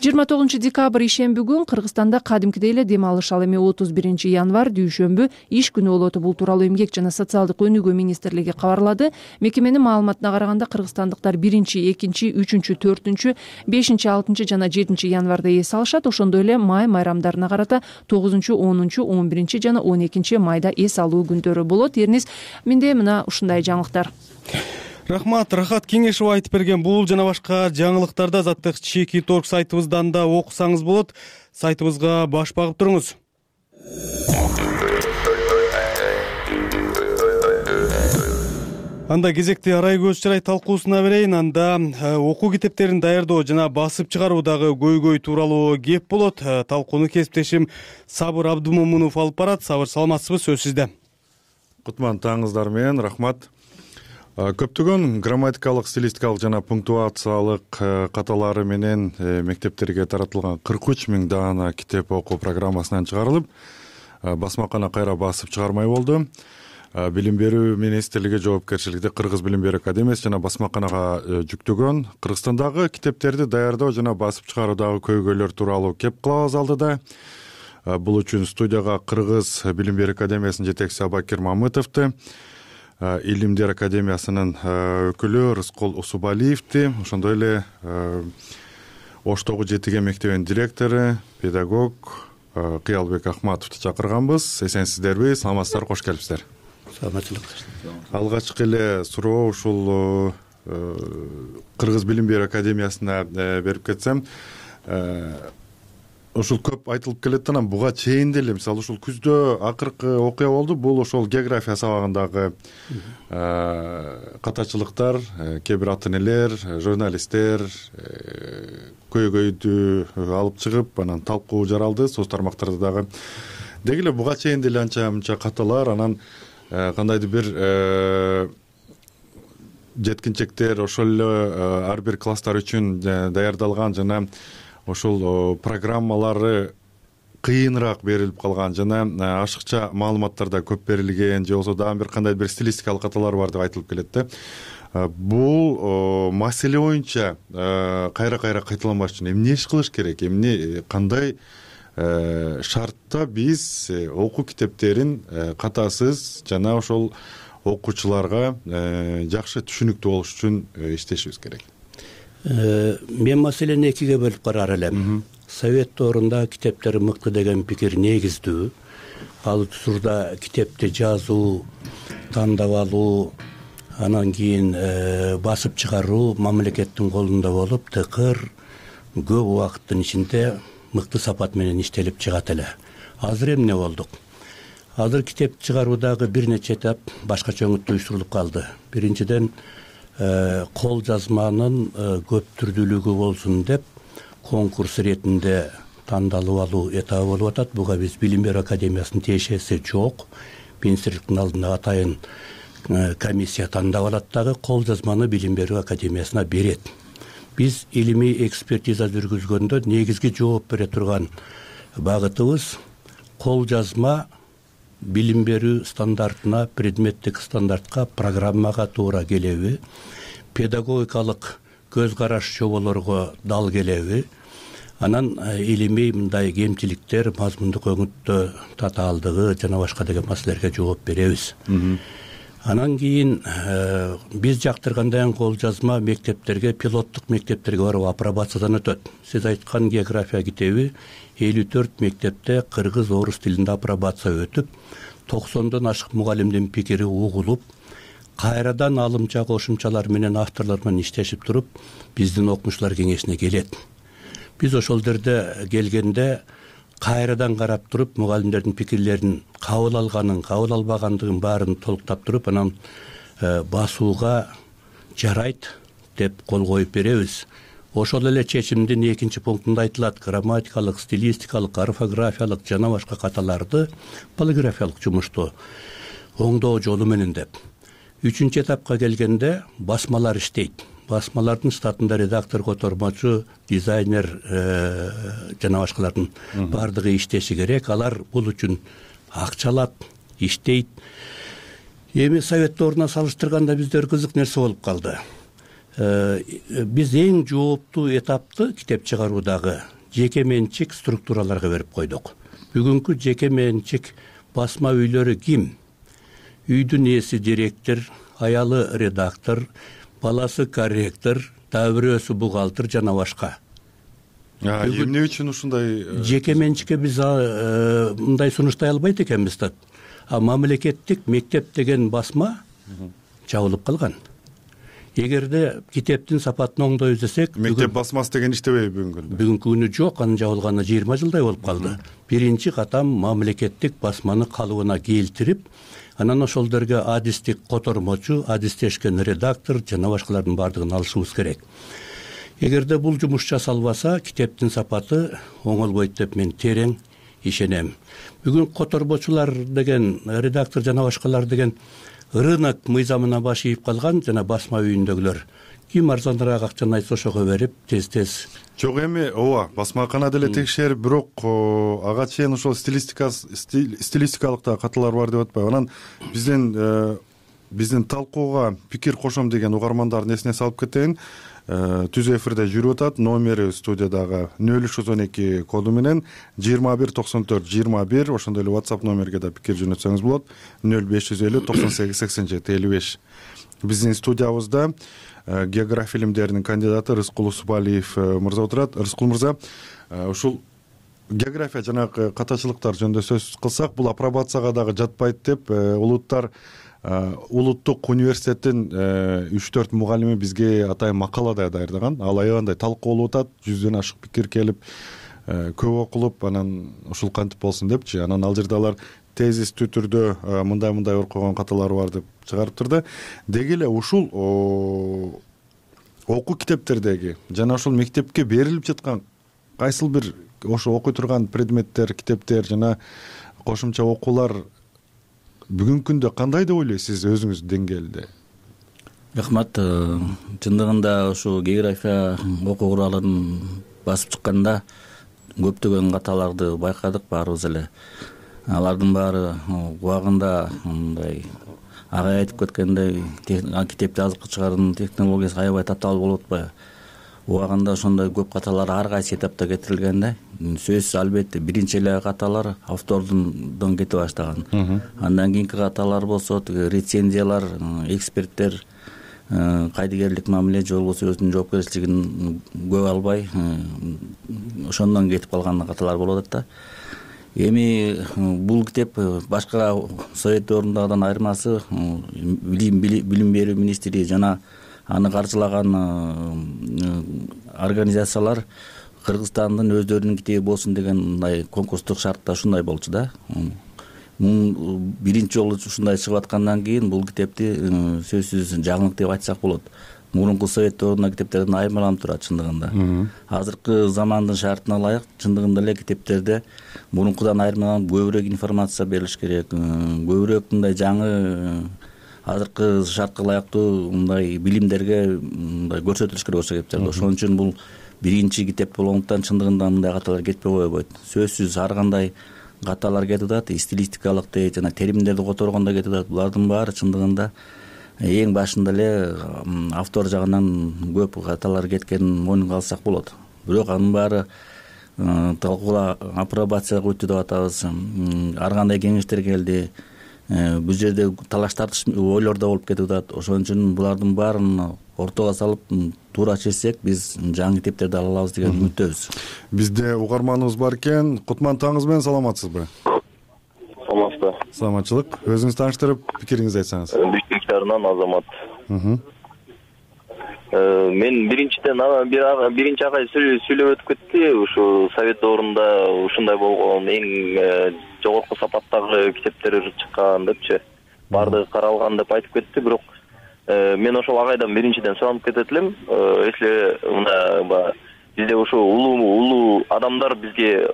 29 декабрь ишемби күн Кыргызстанда кадимкидей эле дем алыш. Ал эми 31 январь дүйшөмбү иш күнү болот. Бул тууралуу Эмгек жана социалдык өнүгүү министрлиги кабарлады. Мекеменин маалыматына караганда кыргызстандыктар 1, 2, 3, 4, 5, 6 жана 7 январда эс алышат. Ошондой эле май майрамдарына карата 9, 10, 11 жана 12 майда эс алуу күндөрү болот. Эрнис, менде мына ушундай жаңылыктар. Рахмат, Рахат Кеңешова айтып берген бул жана башка жаңылыктарды Азаттык чеки торг сайтыбыздан да окусаңыз болот. Сайтыбызга баш багып туруңуз. Анда кезекти арай көз чырай талкуусуна берейин. Анда окуу китептерин даярдоо жана басып чыгаруудагы көйгөй тууралуу кеп болот. Талкууну кесиптешим Сабыр Абдумомунов алып барат. Сабыр, саламатсызбы? Сөз сизде. Кутман таңыңыздар менен, рахмат. Көптөгөн грамматикалык, стилистикалык жана пунктуациялык каталары менен мектептерге таратылган 43 000 даана китеп окуу программасынан чыгарылып, басмакана кайра басып чыгармай болду. Билим берүү министрлиги жоопкерчиликти Кыргыз билим берүү академиясы жана басмаканага жүктөгөн Кыргызстандагы китептерди даярдоо жана басып чыгаруудагы көйгөйлөр тууралуу кеп кылабыз алдыда. Бул үчүн студияга Кыргыз билим берүү академиясынын жетекчиси Абакир Мамытовду, Илимдер академиясынын өкүлү Рыскол Усубалиевди, ошондой эле Оштогу Жетиген мектебинин директору, педагог Кыялбек Ахматовду чакырганбыз. Эсенсиздерби? Саламатсыздарбы? Кош келипсиздер. Саламатчылык. Алгачкы эле суроо ушул Кыргыз билим берүү академиясына берип кетсем, ушул көп айтылып келет, анан буга чейин деле мисалы ушул күздө акыркы окуя болду. Бул ошол география сабагындагы катачылыктар, кээ бир ата энелер, журналисттер көйгөйдү алып чыгып, анан талкуу жаралды соц тармактарда дагы. Деги эле буга чейин деле анча мынча каталар, анан кандайдыр бир жеткинчектер ошол эле ар бир класстар үчүн даярдалган жана ошол программалары кыйыныраак берилип калган жана ашыкча маалыматтар да көп берилген, же болбосо дагы бир кандайдыр бир стилистикалык каталар бар деп айтылып келет да. Бул маселе боюнча кайра кайталанбаш үчүн эмне иш кылыш керек? Эмне кандай шартта биз окуу китептерин катасыз жана ошол окуучуларга жакшы түшүнүктүү болуш үчүн иштешибиз керек? Мен маселени экиге бөлүп карар элем. Совет доорунда китептер мыкты деген пикир негиздүү. Ал учурда китепти жазуу, тандап алуу, анан кийин басып чыгаруу мамлекеттин колунда болуп, тыкыр көп убакыттын ичинде мыкты сапат менен иштелип чыгат эле. Азыр эмне болдук? Азыр китеп чыгаруудагы бир нече этап башкача өңүттөштүрүлүп калды. Биринчиден, кол жазманын көп түрдүүлүгү болсун деп конкурс иретинде тандалып алуу этабы болуп атат. Буга биз билим берүү академиясынын тиешеси жок. Министрликтин алдында атайын комиссия тандап алат дагы кол жазманы билим берүү академиясына берет. Биз илимий экспертиза жүргүзгөндө негизги жооп бере турган багытыбыз кол жазма билим берүү стандартына, предметтик стандартка, программага туура келеби, педагогикалык көз караш чоболорго дал келеби, анан илимий мындай кемчиликтер, мазмундук өңүттө татаалдыгы жана башка деген маселелерге жооп беребиз. Анан кийин биз жактыргандай кол жазма мектептерге, пилоттук мектептерге барып апробациядан өтөт. Сиз айткан география китеби 54 мектепте кыргыз, орус тилинде апробация өтүп, 90дон ашык мугалимдин пикири угулуп, кайрадан алымча кошумчалар менен авторлор менен иштешип туруп, биздин окумуштуулар кеңешине келет. Биз ошол жерде келгенде кайрадан карап туруп, мугалимдердин пикирлерин кабыл алганын, кабыл албагандыгын баарын толуктап туруп, анан басууга жарайт деп кол коюп беребиз. Ошол эле чечимдин 2 пунктунда айтылат: грамматикалык, стилистикалык, орфографиялык жана башка каталарды полиграфиялык жумушту оңдоо жолу менен деп. 3 этапка келгенде басмалар иштейт. Басмалардын штатында редактор, котормочу, дизайнер жана башкалардын бардыгы иштеши керек. Алар бул үчүн акча алат, иштейт. Эми совет дооруна салыштырганда биздер кызык нерсе болуп калды. Биз эң жооптуу этапты китеп чыгаруудагы жеке менчик структураларга берип койдук. Бүгүнкү жеке менчик басма үйлөрү ким? Үйдүн ээси директор, аялы редактор, баласы корректор, дагы бирөөсү бухгалтер жана башка. Эмне үчүн ушундай жеке менчикке биз мындай сунуштай албайт экенбиз да. Мамлекеттик мектеп деген басма жабылып калган. Эгерде китептин сапатын оңдой издесек, мектеп басмасы деген иштебейби бүгүнкү күндө? Бүгүнкү күнү жок, анын жабылганына 20 жылдай болуп калды. Биринчи катам мамлекеттик басманы калыбына келтирип, анан ошол жерге адистик котормочу, адистешкен редактор жана башкалардын бардыгын алышыбыз керек. Эгерде бул жумуш жасалбаса, китептин сапаты оңолбойт деп мен терең ишенем. Бүгүн котормочулар деген, редактор жана башкалар деген рынок мыйзамына баш ийип калган жана басма үйүндөгүлөр ким арзаныраак акчаны айтса ошого берип тез жок, эми ооба басмакана деле текшерип, бирок ага чейин ошол стилистикалык да каталар бар деп атпайбы. Анан биздин талкууга пикир кошом деген угармандардын эсине салып кетейин. Түз эфирде жүрүп атат. Номери студиядагы 0312 коду менен 219421, ошондой эле WhatsApp номерге да пикир жөнөтсөңүз болот. 0550 98 87 55. Биздин студиябызда география илимдеринин кандидаты Рыскул Усубалиев мырза отурат. Рыскул мырза, ушул география жанагы катачылыктар жөнүндө сөз кылсак, бул апробацияга дагы жатпайт деп улуттук университеттин 3-4 мугалими бизге атайын макала да даярдаган. Ал аябандай талкуу болуп атат, 100дөн ашык пикир келип, көп окулуп, анан ушул кантип болсун депчи. Анан ал жерде алар тезистүү түрдө мындай окуган каталар бар деп чыгарып турду. Деги эле ушул окуу китептердеги жана ошол мектепке берилип жаткан кайсыл бир ошо окуй турган предметтер, китептер жана кошумча окуулар бүгүнкү күндө кандай деп ойлойсуз өзүңүз деңгээлде? Рахмат. Чындыгында ушу география окуу куралын басып чыкканда көптөгөн каталарды байкадык баарыбыз эле. Алардын баары убагында мындай агай айтып кеткендей китепти азыркы чыгаруунун технологиясы аябай татаал болуп атпайбы? Убагында ошондой көп каталар ар кайсы этапта кетирилген да. Сөзсүз албетте биринчи эле каталар автордон кете баштаган. Андан кийинки каталар болсо рецензиялар, эксперттер кайдыгерлик мамиле же болбосо өзүнүн жоопкерчилигин көп албай ошондон кетип калган каталар болуп атат да. Эми бул китеп башка совет дöwрүндагыдан айырмасы билим берүү министри жана аны каржылаган организациялар Кыргызстандын өздөрүнүн китеби болсун деген мындай конкурстук шартта ушундай болчу да. Биринчи жолу ушундай чыгып аткандан кийин бул китепти сөзсүз жаңылык деп айтсак болот. Мурунку совет дöwрүндөгү китептерден айырмаланып турат чындыгында. Азыркы замандын шартына ылайык чындыгында эле китептерде мурункудан айырмаланып көбүрөөк информация берилиш керек. Көбүрөөк мындай жаңы азыркы шартка ылайыктуу мындай билимдерге мындай көрсөтүлүш керек ошол китептерде. Ошон үчүн бул биринчи китеп болгондуктан чындыгында мындай каталар кетпей койбойт. Сөзсүз ар кандай каталар кетип атат, стилистикалык жана теримдерди которгондо кетип атат. Булардын баары чындыгында эң башында эле автор жагынан көп каталар кеткенин мойнунга алсак болот. Бирок анын баары талкууга апробацияга өттү деп атабыз. Ар кандай кеңештер келди. Бул жерде талаш тартыш ойлор да болуп кетип атат. Ошон үчүн булардын баарын ортого салып туура чечсек биз жаңы китептерди ала алабыз деген үмүттөбүз. Бизде угарманыбыз бар экен. Кутман, таңыңыз менен саламатсызбы? Саламатсызбы. Саламатчылык. Өзүңүз тааныштырып, пикириңизди айтсаңыз. Бишкектарынан Азамат. Мен биринчи агай сүйлөп өтүп кетти. Ушу совет дöwрүндө ушундай болгон эң жогорку сапаттагы китептер чыккан депчи. Бардыгы каралган деп айтып кетти. Бирок мен ошол агайдан биринчиден суранып кетет элем. Если мына бизде ушу улуу адамдар бизге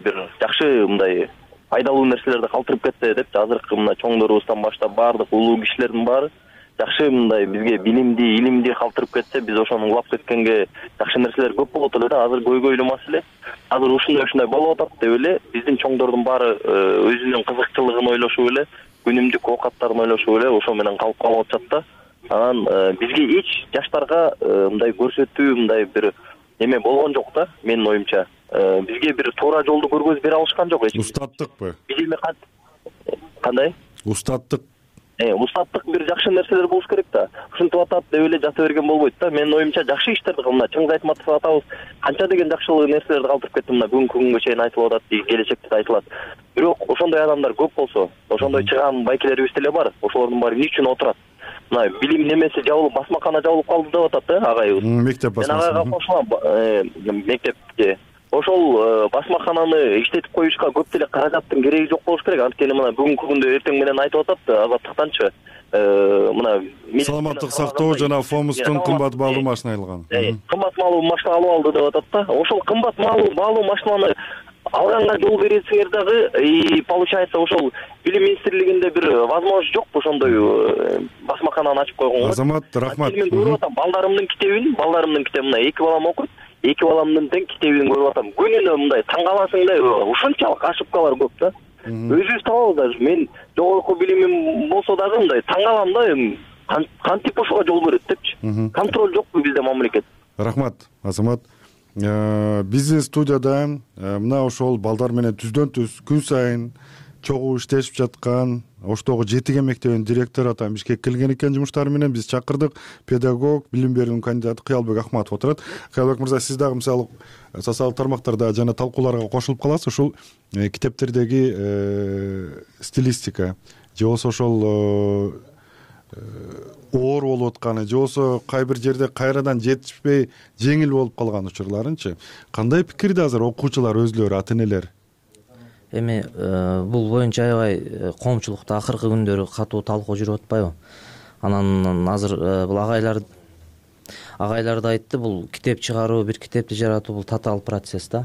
бир жакшы мындай пайдалуу нерселерди калтырып кетсе депчи. Азыркы мына чоңдорубуздан баштап баардык улуу кишилердин баары жакшы мындай бизге билимди, илимди калтырып кетсе, биз ошону улап кеткенге жакшы нерселер көп болот эле да. Азыр көйгөйлүү маселе. Азыр ушундай болуп атат деп эле биздин чоңдордун баары өзүнүн кызыкчылыгын ойлошуп эле, күнүмдүк оокаттарын ойлошуп эле ошо менен калып калып атышат да. Анан бизге эч жаштарга мындай көрсөтүү мындай бир эме болгон жок да, менин оюмча. Бизге бир туура жолду көргөзүп бере алышкан жок эч. Устаттыкпы? Биз эми кандай? Устаттык. Устаттык бир жакшы нерселер болуш керек да. Ушинтип атат деп эле жата берген болбойт да. Менин оюмча жакшы иштерди кылмына. Чыңгыз Айтматов атабыз канча деген жакшылык нерселерди калтырып кетти, мына бүгүнкү күнгө чейин айтылып атат, келечекте да айтылат. Бирок ошондой адамдар көп болсо, ошондой чыган байкелерибиз деле бар. Ошолордун баары эмне үчүн отурат? Мына билим немеси жабылып, басмакана жабылып калды деп атат да агайыбыз. Мектеп басмакана. Мен агайга кошулам, мектепке. Ошол басмакананы иштетип коюшка көп деле каражаттын кереги жок болуш керек. Анткени мына бүгүнкү күндө эртең менен айтып атат Азаттыктанчы. Мына саламаттык сактоо жана Фомустун кымбат баалуу машина алган. Кымбат баалуу машина алып алды деп атат да. Ошол кымбат баалуу машинаны алганга жол бересиңер дагы, получается ошол билим министрлигинде бир возможность жокпу ошондой басмакананы ачып койгонго? Азамат, рахмат. Мен көрүп атам балдарымдын китебин мына 2 балам окуйт. 2 баламдын тең китебин көрүп атам. Күнүнө мындай таң каласың да, ушунчалык ошибкалар көп да. Өзүбүз табабыз даже. Мен жогорку билимим болсо дагы мындай таң калам да, кантип ошого жол берет депчи. Контроль жокпу бизде мамлекет. Рахмат, Азамат. Биздин студияда мына ошол балдар менен түздөн-түз күн сайын чогуу иштешип жаткан Оштогу Жетиге мектебинин директору атам Бишкекке келген экен жумуштары менен. Биз чакырдык. Педагог, билим берүүнүн кандидаты Кыялбек Акматов отурат. Кыялбек мырза, сиз дагы мисалы социалдык тармактарда жана талкууларга кошулуп каласыз. Ушул китептердеги стилистика же болбосо ошол оор болуп атканы же болбосо кай бир жерде кайрадан жетишпей жеңил болуп калган учурларынчы кандай пикирде азыр окуучулар өзүлөрү, ата энелер? Эми бул боюнча аябай коомчулукта акыркы күндөрү катуу талкуу жүрүп атпайбы? Анан азыр бул агайлар да айтты, бул китеп чыгаруу, бир китепти жаратуу бул татаал процесс да.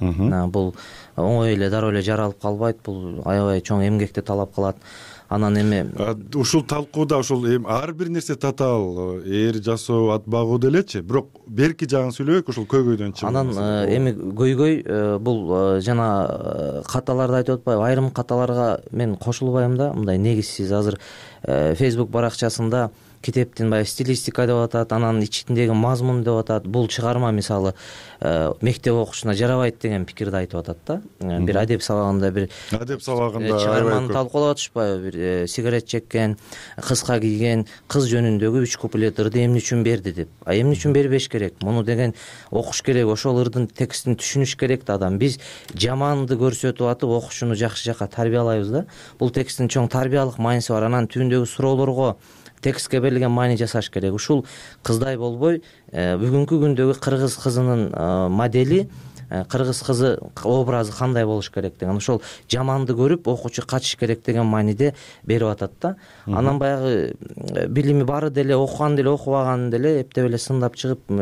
Бул оңой эле дароо эле жаралып калбайт, бул аябай чоң эмгекти талап кылат. Анан эми ушул талкууда ушул ар бир нерсе татаал, ээр жасоо, ат багуу делечи, бирок берки жагын сүйлөбөйк, ушул көйгөйдөн чыгып. Анан эми көйгөй бул жана каталарды айтып атпайбы? Айрым каталарга мен кошулбайм да, мындай негизсиз. Азыр Facebook баракчасында китептин баягы стилистика деп атат, анан ичиндеги мазмун деп атат. Бул чыгарма мисалы мектеп окуучусуна жарабайт деген пикирди айтып атат да. Бир адеп сабагында чыгарманы талкуулап атышпайбы? Бир сигарет чеккен, кыска кийген кыз жөнүндөгү 3 куплет ырды эмне үчүн берди деп. Эмне үчүн бербеш керек? Муну деген окуш керек, ошол ырдын текстин түшүнүш керек да адам. Биз жаманды көрсөтүп атып окуучуну жакшы жакка тарбиялайбыз да. Бул тексттин чоң тарбиялык мааниси бар. Анан түбүндөгү суроолорго текстке берилген маани жасаш керек. Ушул кыздай болбой, бүгүнкү күндөгү кыргыз кызынын модели, кыргыз кызы образы кандай болуш керек деген, ошол жаманды көрүп окуучу качыш керек деген мааниде берип атат да. Анан баягы билими бары деле, окуган деле, окубаган деле эптеп эле сындап чыгып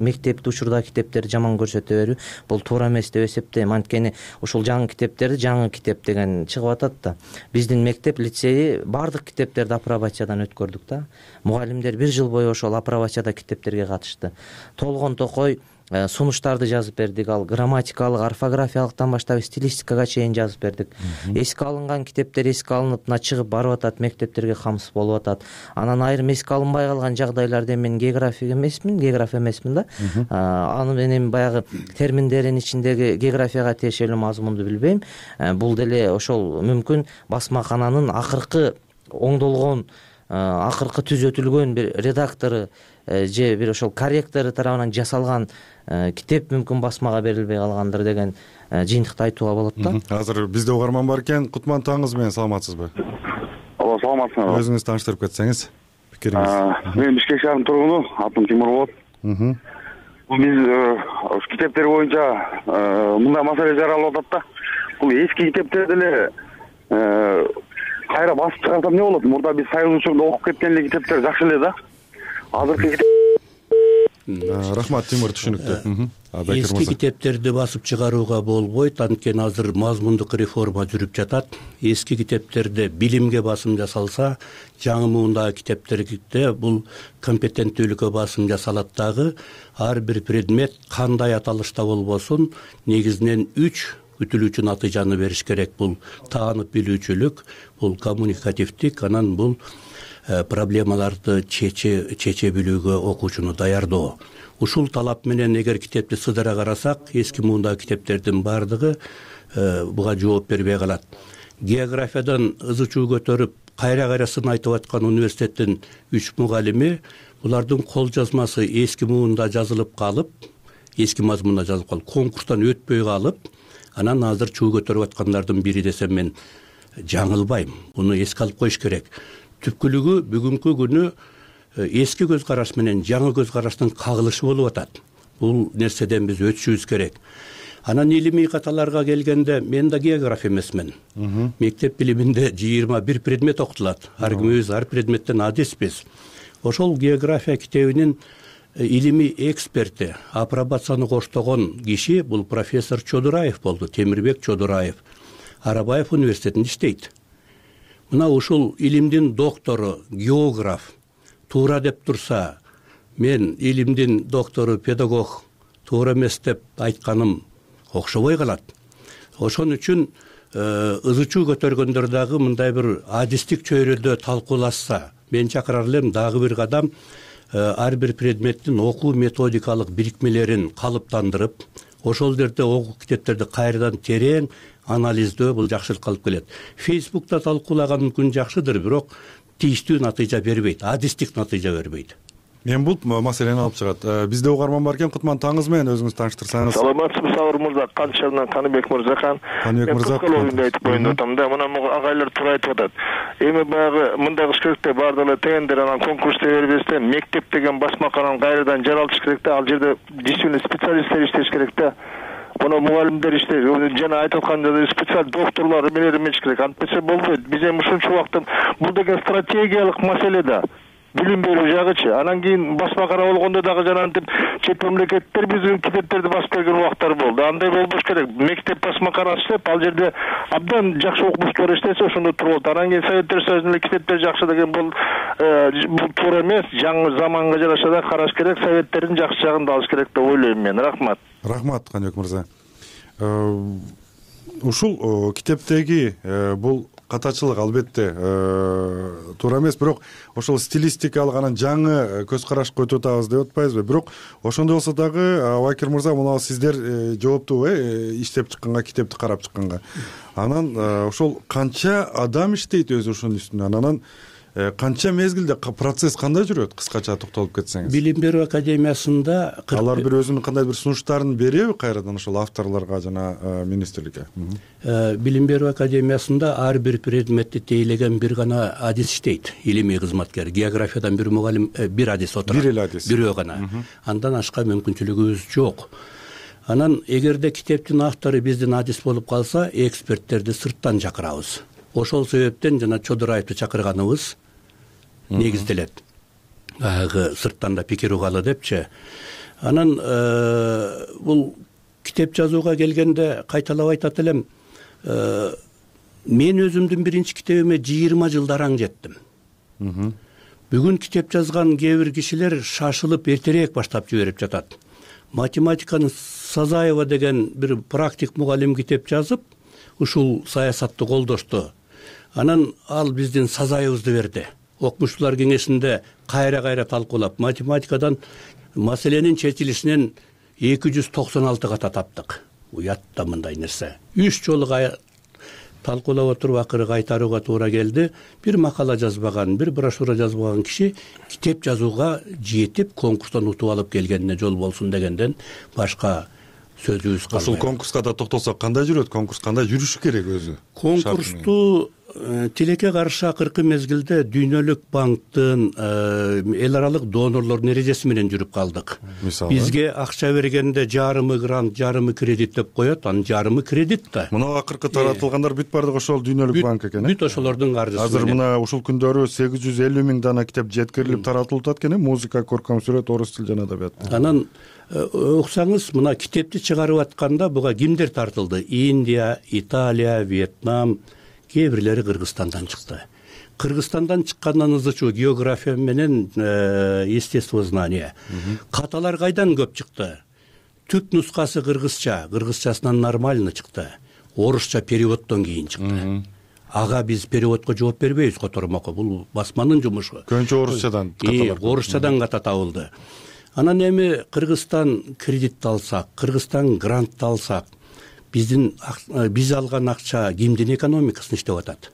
мектепти учурдагы китептерди жаман көрсөтө берүү бул туура эмес деп эсептейм. Анткени ушул жаңы китептерди жаңы китеп деген чыгып атат да. Биздин мектеп лицейи баардык китептерди апробациядан өткөрдүк да. Мугалимдер 1 жыл бою ошол апробацияда китептерге катышты. Толгон токой сунуштарды жазып бердик, ал грамматикалык, орфографиялыктан баштап стилистикага чейин жазып бердик. Эске алынган китептер эске алынып мына чыгып барып атат, мектептерге камсыз болуп атат. Анан айрым эске алынбай калган жагдайларда мен географ эмесмин да. Аны менен баягы терминдердин ичиндеги географияга тиешелүү мазмунду билбейм. Бул деле ошол мүмкүн басмакананын акыркы оңдолгон, акыркы түзөтүлгөн бир редактору же бир ошол корректору тарабынан жасалган китеп мүмкүн басмага берилбей калгандыр деген жыйынтыкты айтууга болот да. Азыр бизде угарман бар экен. Кутман, таңыңыз менен, саламатсызбы? Ооба, саламатсызбы. Өзүңүз тааныштырып кетсеңиз, пикириңиз. Мен Бишкек шаарынын тургуну, атым Тимур болот. Биз китептер боюнча мындай маселе жаралып атат да. Бул эски китептерди эле кайра басып чыгарсам эмне болот? Мурда биз союз учурунда окуп кеткен эле китептер жакшы эле да. Азыркы Рахмат, Тимур, түшүнүктүү. Эски китептерди басып чыгарууга болбойт, анткени азыр мазмундук реформа жүрүп жатат. Эски китептерде билимге басым жасалса, жаңы муундагы китептерде бул компетенттүүлүккө басым жасалат дагы. Ар бир предмет кандай аталышта болбосун, негизинен 3 күтүлүүчү натыйжаны бериш керек. Бул таанып билүүчүлүк, бул коммуникативдик, анан бул проблемаларды чече билүүгө окуучуну даярдоо. Ушул талап менен эгер китепти сыдыра карасак, эски муундагы китептердин баардыгы буга жооп бербей калат. Географиядан ызы чуу көтөрүп, кайра сын айтып аткан университеттин 3 мугалими булардын кол жазмасы эски муунда жазылып калып, эски мазмунда жазылып калып, конкурстан өтпөй калып, анан азыр чуу көтөрүп аткандардын бири десем мен жаңылбайм. Буну эске алып коюш керек. Түпкүлүгү бүгүнкү күнү эски көз караш менен жаңы көз караштын кагылышы болуп атат. Бул нерседен биз өтүшүбүз керек. Анан илимий каталарга келгенде мен да географ эмесмин. Мектеп билиминде 21 предмет окутулат. Ар кимибиз ар предметтен адиспиз. Ошол география китебинин илимий эксперти, апробацияны коштогон киши бул профессор Чодураев болду, Темирбек Чодураев. Арабаев университетинде иштейт. мына ушул илимдин доктору, географ туура деп турса, мен илимдин доктору, педагог туура эмес деп айтканым окшобой калат. Ошон үчүн ызы чуу көтөргөндөр дагы мындай бир адистик чөйрөдө талкуулашса, мен чакырар элем дагы бир кадам ар бир предметтин окуу методикалык бирикмелерин калыптандырып, ошол жерде окуу китептерди кайрадан терең анализдөө бул жакшылыкка алып келет. Фейсбукта талкуулаган мүмкүн жакшыдыр, бирок тийиштүү натыйжа бербейт, адистик натыйжа бербейт. Мен бул маселени алып чыгат. Бизде угарман бар экен, Кутман, таңыз менен өзүңүз тааныштырсаңыз. Саламатсызбы Сабыр мырза, Канчарынан Каныбек мырзакан. Каныбек мырза, айтып коюн атам да, мына агайлар туура айтып атат. Эми баягы мындай кылыш керек да, баардык эле тендер анан конкурс бербестен мектеп деген басмаканын кайрадан жаралтыш керек да, ал жерде действительно специалисттер иштеш керек да. Муну мугалимдер иштейт, жана айтып аткандай специалист докторлор эмелер керек. Антпесе болбойт. Биз эми ушунча убакта бул деген стратегиялык маселе да. Билим берүү жагычы. Анан кийин басмакана болгондо дагы жанагынтип чет мамлекеттер биздин китептерди басып берген убактар болду. Андай болбош керек. Мектеп басмаканасы иштеп, ал жерде абдан жакшы окумуштуулар иштесе ошондо турат. Анан кийин Советтер Союзунун китептери жакшы деген бул туура эмес. Жаңы заманга жараша да караш керек. Советтердин жакшы жагын да алыш керек деп ойлойм мен. Рахмат. Рахмат, Каныбек мырза. Ушул китептеги бул катачылык албетте туура эмес, бирок ошол стилистикалык анан жаңы көз карашка өтүп атабыз деп атпайбызбы? Бирок ошондой болсо дагы Абакир мырза, мына сиздер жооптуу иштеп чыкканга, китепти карап чыкканга, анан ошол канча адам иштейт өзү ошонун үстүнөн, анан канча мезгилде процесс кандай жүрөт, кыскача токтолуп кетсеңиз? Билим берүү академиясында алар бир өзүнүн кандай бир сунуштарын береби кайрадан ошол авторлорго жана министрликке? Билим берүү академиясында ар бир предметти тейлеген бир гана адис иштейт, илимий кызматкер. Географиядан бир мугалим, бир адис отурат. Бир эле адис. Бирөө гана. Андан ашка мүмкүнчүлүгүбүз жок. Анан эгерде китептин автору биздин адис болуп калса, эксперттерди сырттан чакырабыз. Ошол себептен жана Чодураевди чакырганыбыз негизделет. Баягы сырттан да пикир угалы депчи. Анан бул китеп жазууга келгенде кайталап айтат элем, мен өзүмдүн биринчи китебиме 20 жылдар аң жеттим. Бүгүн китеп жазган кээ бир кишилер шашылып эртерээк баштап жиберип жатат. Математиканы Сазаева деген бир практик мугалим китеп жазып, ушул саясатты колдошту. Анан ал биздин Сазаевыбызды берди. Окумуштуулар кеңешинде кайра талкуулап, математикадан маселенин чечилишинен 296 ката таптык. Уятта мындай нерсе. 3 жолу талкуулап отуруп акыры кайтарууга туура келди. Бир макала жазбаган, бир брошюра жазбаган киши китеп жазууга жетип, конкурстан утуп алып келгенине жол болсун дегенден башка сөзүбүз калбайт. Ошол конкурска да токтолсок, кандай жүрөт конкурс, кандай жүрүшү керек өзү? Конкурсту тилекке каршы акыркы мезгилде Дүйнөлүк банктын эл аралык донорлордун эрежеси менен жүрүп калдык. Бизге акча бергенде жарымы грант, жарымы кредит деп коет, анын жарымы кредит да. Мына акыркы таратылгандар бүт бардыгы ошол Дүйнөлүк банк экен. Бүт ошолордун каржысы. Азыр мына ушул күндөрү 850 000 дана китеп жеткирилип таратылып атат экен, музыка, көркөм сүрөт, орус тил жана адабият. Анан уксаңыз, мына китепти чыгарып атканда буга кимдер тартылды? Индия, Италия, Вьетнам, кээ бирлери Кыргызстандан чыкты. Кыргызстандан чыккандан ызычуу география менен естествознание. Каталар кайдан көп чыкты? Түп нускасы кыргызча, кыргызчасынан нормально чыкты. Орусча переводдон кийин чыкты. Ага биз переводко жооп бербейбиз котормокко, бул басманын жумушу. Көбүнчө орусчадан каталар. Орусчадан ката табылды. Анан эми Кыргызстан кредит алсак, Кыргызстан грант алсак, биз алган акча кимдин экономикасына иштеп атат?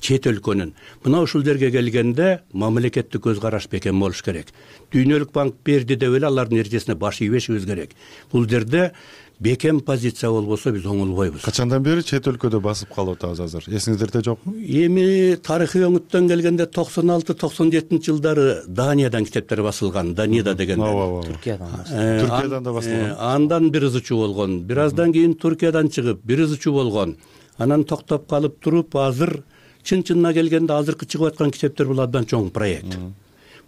Чет өлкөнүн. Мына ушул жерге келгенде мамлекеттик көз караш бекем болуш керек. Дүйнөлүк банк берди деп эле алардын эрежесине баш ийбешибиз керек. Бул жерде бекем позиция болбосо биз оңолбойбуз. Качандан бери чет өлкөдө басып калып атабыз азыр? Эсиңиздерде жокпу? Эми тарыхый өңүттөн келгенде 96-97 жылдары Даниядан китептер басылган, Данияда деген. Түркиядан да басылган. Андан бир ызычуу болгон. Бир аздан кийин Түркиядан чыгып, бир ызычуу болгон. Анан токтоп калып туруп, азыр чын-чынына келгенде азыркы чыгып аткан китептер бул абдан чоң проект.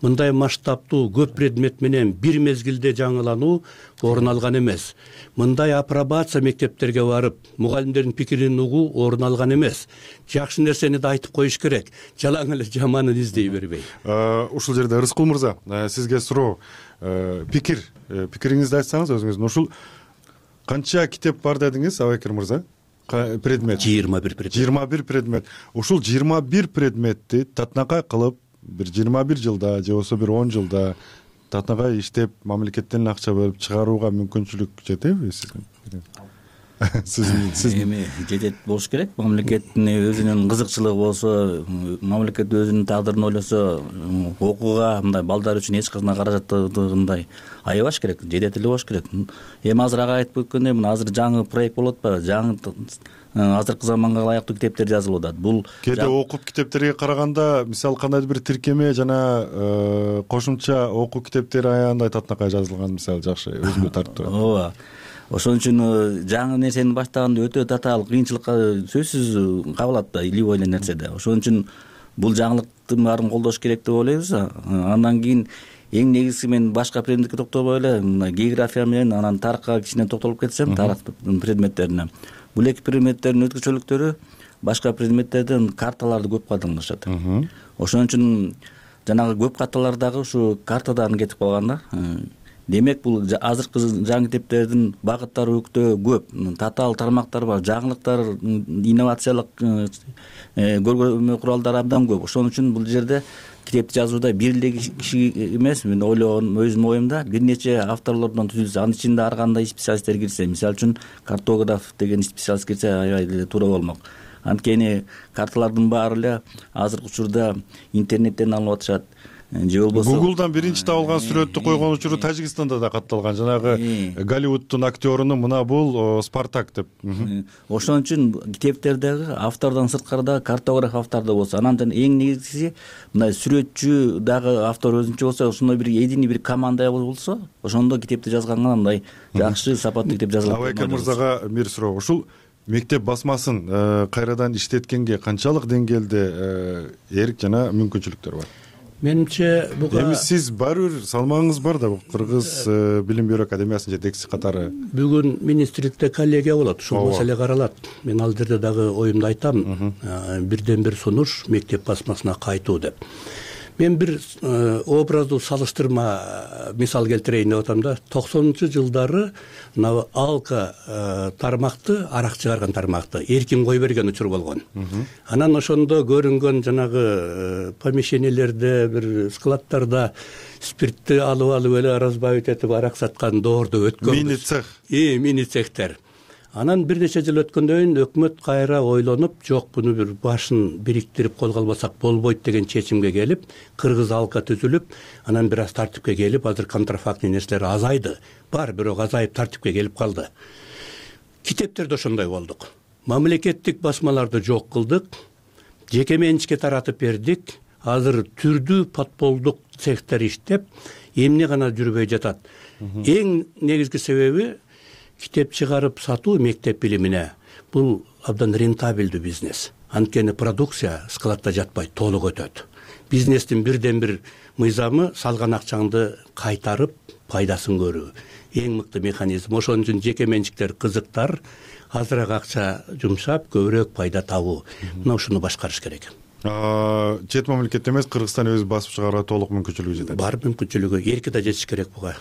мындай масштабтуу көп предмет менен бир мезгилде жаңылануу орун алган эмес. Мындай апробация мектептерге барып мугалимдердин пикирин угуу орун алган эмес. Жакшы нерсени да айтып коюш керек, жалаң эле жаманын издей бербей. Ушул жерде Рыскул мырза, сизге суроо, пикириңизди айтсаңыз өзүңүздүн. Ушул канча китеп бар дедиңиз, Абайкер мырза? Предмет 21 предмет. 21 предмет. Ушул 21 предметти татынакай кылып бир 21 жылда же болбосо бир 10 жылда татынакай иштеп мамлекеттен акча бөлүп чыгарууга мүмкүнчүлүк жетеби сизге? Сиз эми жетет болуш керек. Мамлекеттин өзүнүн кызыкчылыгы болсо, мамлекет өзүнүн тагдырын ойлосо, окууга мындай балдар үчүн эч кандай каражаттыгындай аябаш керек, жетет эле болуш керек. Эми азыр ага айтып өткөндөй, мына азыр жаңы проект болуп атпайбы? Жаңы азыркы заманга ылайыктуу китептер жазылып атат. Бул кээде окуп китептерге караганда, мисалы кандайдыр бир тиркеме жана кошумча окуу китептери аябай татынакай жазылган, мисалы жакшы өзүмө тартып. Ооба. Ошон үчүн жаңы нерсени баштаганда өтө татаал кыйынчылыкка сөзсүз кабылат да, любой эле нерседе. Ошон үчүн бул жаңылыктын баарын колдош керек деп ойлойбуз. Андан кийин эң негизгиси мен башка предметке токтобой эле география менен анан тарыхка кичине токтолуп кетсем, тарых предметтерине. Бул эки предметтердин өзгөчөлүктөрү башка предметтерден карталарды көп колдонушат. Ошон үчүн жанагы көп карталардагы ушу картадан кетип калган да. Демек бул азыркы жаңы китептердин багыттары өтө көп, татаал тармактар бар, жаңылыктар, инновациялык көргөзмө куралдары абдан көп. Ошон үчүн бул жерде китепти жазууда бир эле киши эмес, мен ойлогонум өзүмдүн оюмда бир нече авторлордон түзүлсө, анын ичинде ар кандай специалисттер кирсе, мисалы үчүн картограф деген специалист кирсе аябай эле туура болмок. Анткени карталардын баары эле азыркы учурда интернеттен алынып атышат. Же болбосо Google'дан биринчи табылган сүрөттү койгон учуру Тажикстанда да катталган. Жанагы Голливудтун актеруну мына бул Спартак деп. Ошон үчүн китептердеги автордон сырткары да картограф автор да болсо, анан эң негизгиси мындай сүрөтчү дагы автор өзүнчө болсо, ошондой бир единый бир команда болсо, ошондо китепти жазганга мындай жакшы сапаттуу китеп жазылат. Абайкер мырзага бир суроо. Ушул мектеп басмасын кайрадан иштеткенге канчалык деңгээлде эрк жана мүмкүнчүлүктөр бар? Менимче буга эми сиз баары бир салмагыңыз бар да, Кыргыз билим берүү академиясынын жетекчиси катары. Бүгүн министрликте коллегия болот, ушул маселе каралат. Мен ал жерде дагы оюмду айтам. Бирден бир сунуш мектеп басмасына кайтуу деп. Мен бир образдуу салыштырма мисал келтирейин деп атам да. 90-жылдары мына Алка тармакты, арак чыгарган тармакты эркин кой берген учур болгон. Анан ошондо көрүнгөн жанагы помещениелерде, бир складтарда спиртти алып эле разбавить этип арак саткан доордо өткөн. Мини цех. Мини цехтер. Анан бир нече жыл өткөндөн кийин өкмөт кайра ойлонуп, жок буну бир башын бириктирип колго албасак болбойт деген чечимге келип, Кыргыз Алка түзүлүп, анан бир аз тартипке келип, азыр контрафактный нерселер азайды. Бар, бирок азайып тартипке келип калды. Китептерде ошондой болдук. Мамлекеттик басмаларды жок кылдык, жеке менчикке таратып бердик. Азыр түрдүү подполдук цехтер иштеп, эмне гана жүрбөй жатат. Эң негизги себеби китеп чыгарып сатуу мектеп билимине бул абдан рентабелдүү бизнес. Анткени продукция складда жатпай толук өтөт. Бизнестин бирден бир мыйзамы салган акчаңды кайтарып пайдасын көрүү. Эң мыкты механизм. Ошон үчүн жеке менчиктер кызыктар, азыраак акча жумшап көбүрөөк пайда табуу. Мына ушуну башкарыш керек. Чет мамлекет эмес, Кыргызстан өзү басып чыгарууга толук мүмкүнчүлүгү жетет. Бар мүмкүнчүлүгү, эрки да жетиш керек буга.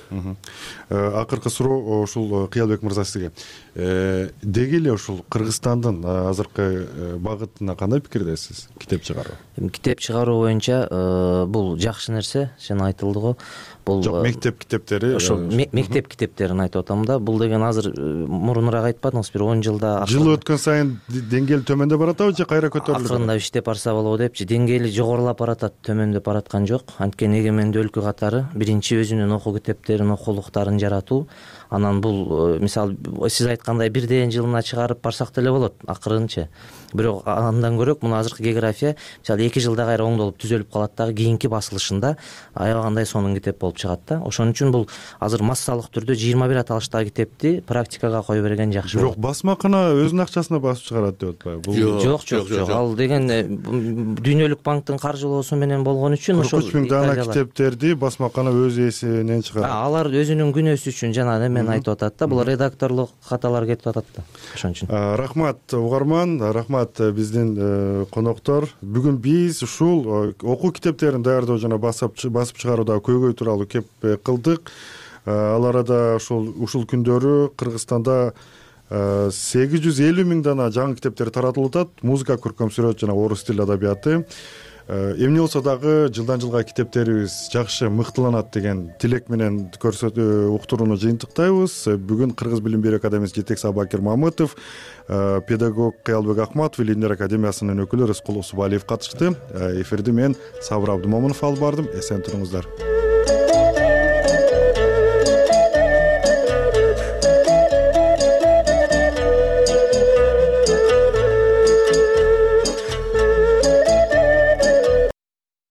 Акыркы суроо ушул Кыялбек мырза сизге. Деги эле ушул Кыргызстандын азыркы багытына кандай пикирдесиз? Китеп чыгаруу. Китеп чыгаруу боюнча бул жакшы нерсе, жана айтылды го. Бул жок, мектеп китептери. Ошол мектеп китептерин айтып атам да. Бул деген азыр мурунураак айтпадыңыз, бир 10 жылда жыл өткөн сайын деңгээл төмөндөп баратабы же кайра көтөрүлүп? Акырында иштеп барса болобу депчи, деңгээли жогорулап баратат, төмөндөп бараткан жок. Анткени эгемендүү өлкө катары биринчи өзүнүн окуу китептерин, окуулуктарын жаратуу, анан бул мисалы сиз айткандай бирден жылына чыгарып барсак деле болот акырынча. Бирок андан көрөк муну азыркы география мисалы 2 жылда кайра оңдолуп түзөлүп калат дагы кийинки басылышында аябагандай сонун китеп болуп чыгат да. Ошон үчүн бул азыр массалык түрдө 21 аталыштагы китепти практикага кое берген жакшы. Бирок басмакана өзүнүн акчасына басып чыгарат деп атпайбы? Жок. Ал деген Дүйнөлүк банктын каржылоосу менен болгон үчүн ошол 43 000 даана китептерди басмакана өз эсебинен чыгарат. Алар өзүнүн күнөөсү үчүн жана эмен айтып атат да, бул редакторлук каталар кетип атат да. Ошон үчүн. Рахмат угарман, рахмат биздин коноктор. Бүгүн биз ушул окуу китептерин даярдоо жана басып чыгарууда көйгөй тууралуу кеп кылдык. Ал арада ушул күндөрү Кыргызстанда 850 000 даана жаңы китептер таратылып атат. Музыка, көркөм сүрөт жана орус тил адабияты. Эмне болсо дагы жылдан жылга китептерибиз жакшы мыктыланат деген тилек менен уктурууну жыйынтыктайбыз. Бүгүн Кыргыз билим берүү академиясынын жетекчиси Абакир Мамытов, педагог Кыялбек Акматов, Илимдер академиясынын өкүлү Рыскул Усубалиев катышты. Эфирди мен Сабыр Абдымомунов алып бардым. Эсен туруңуздар.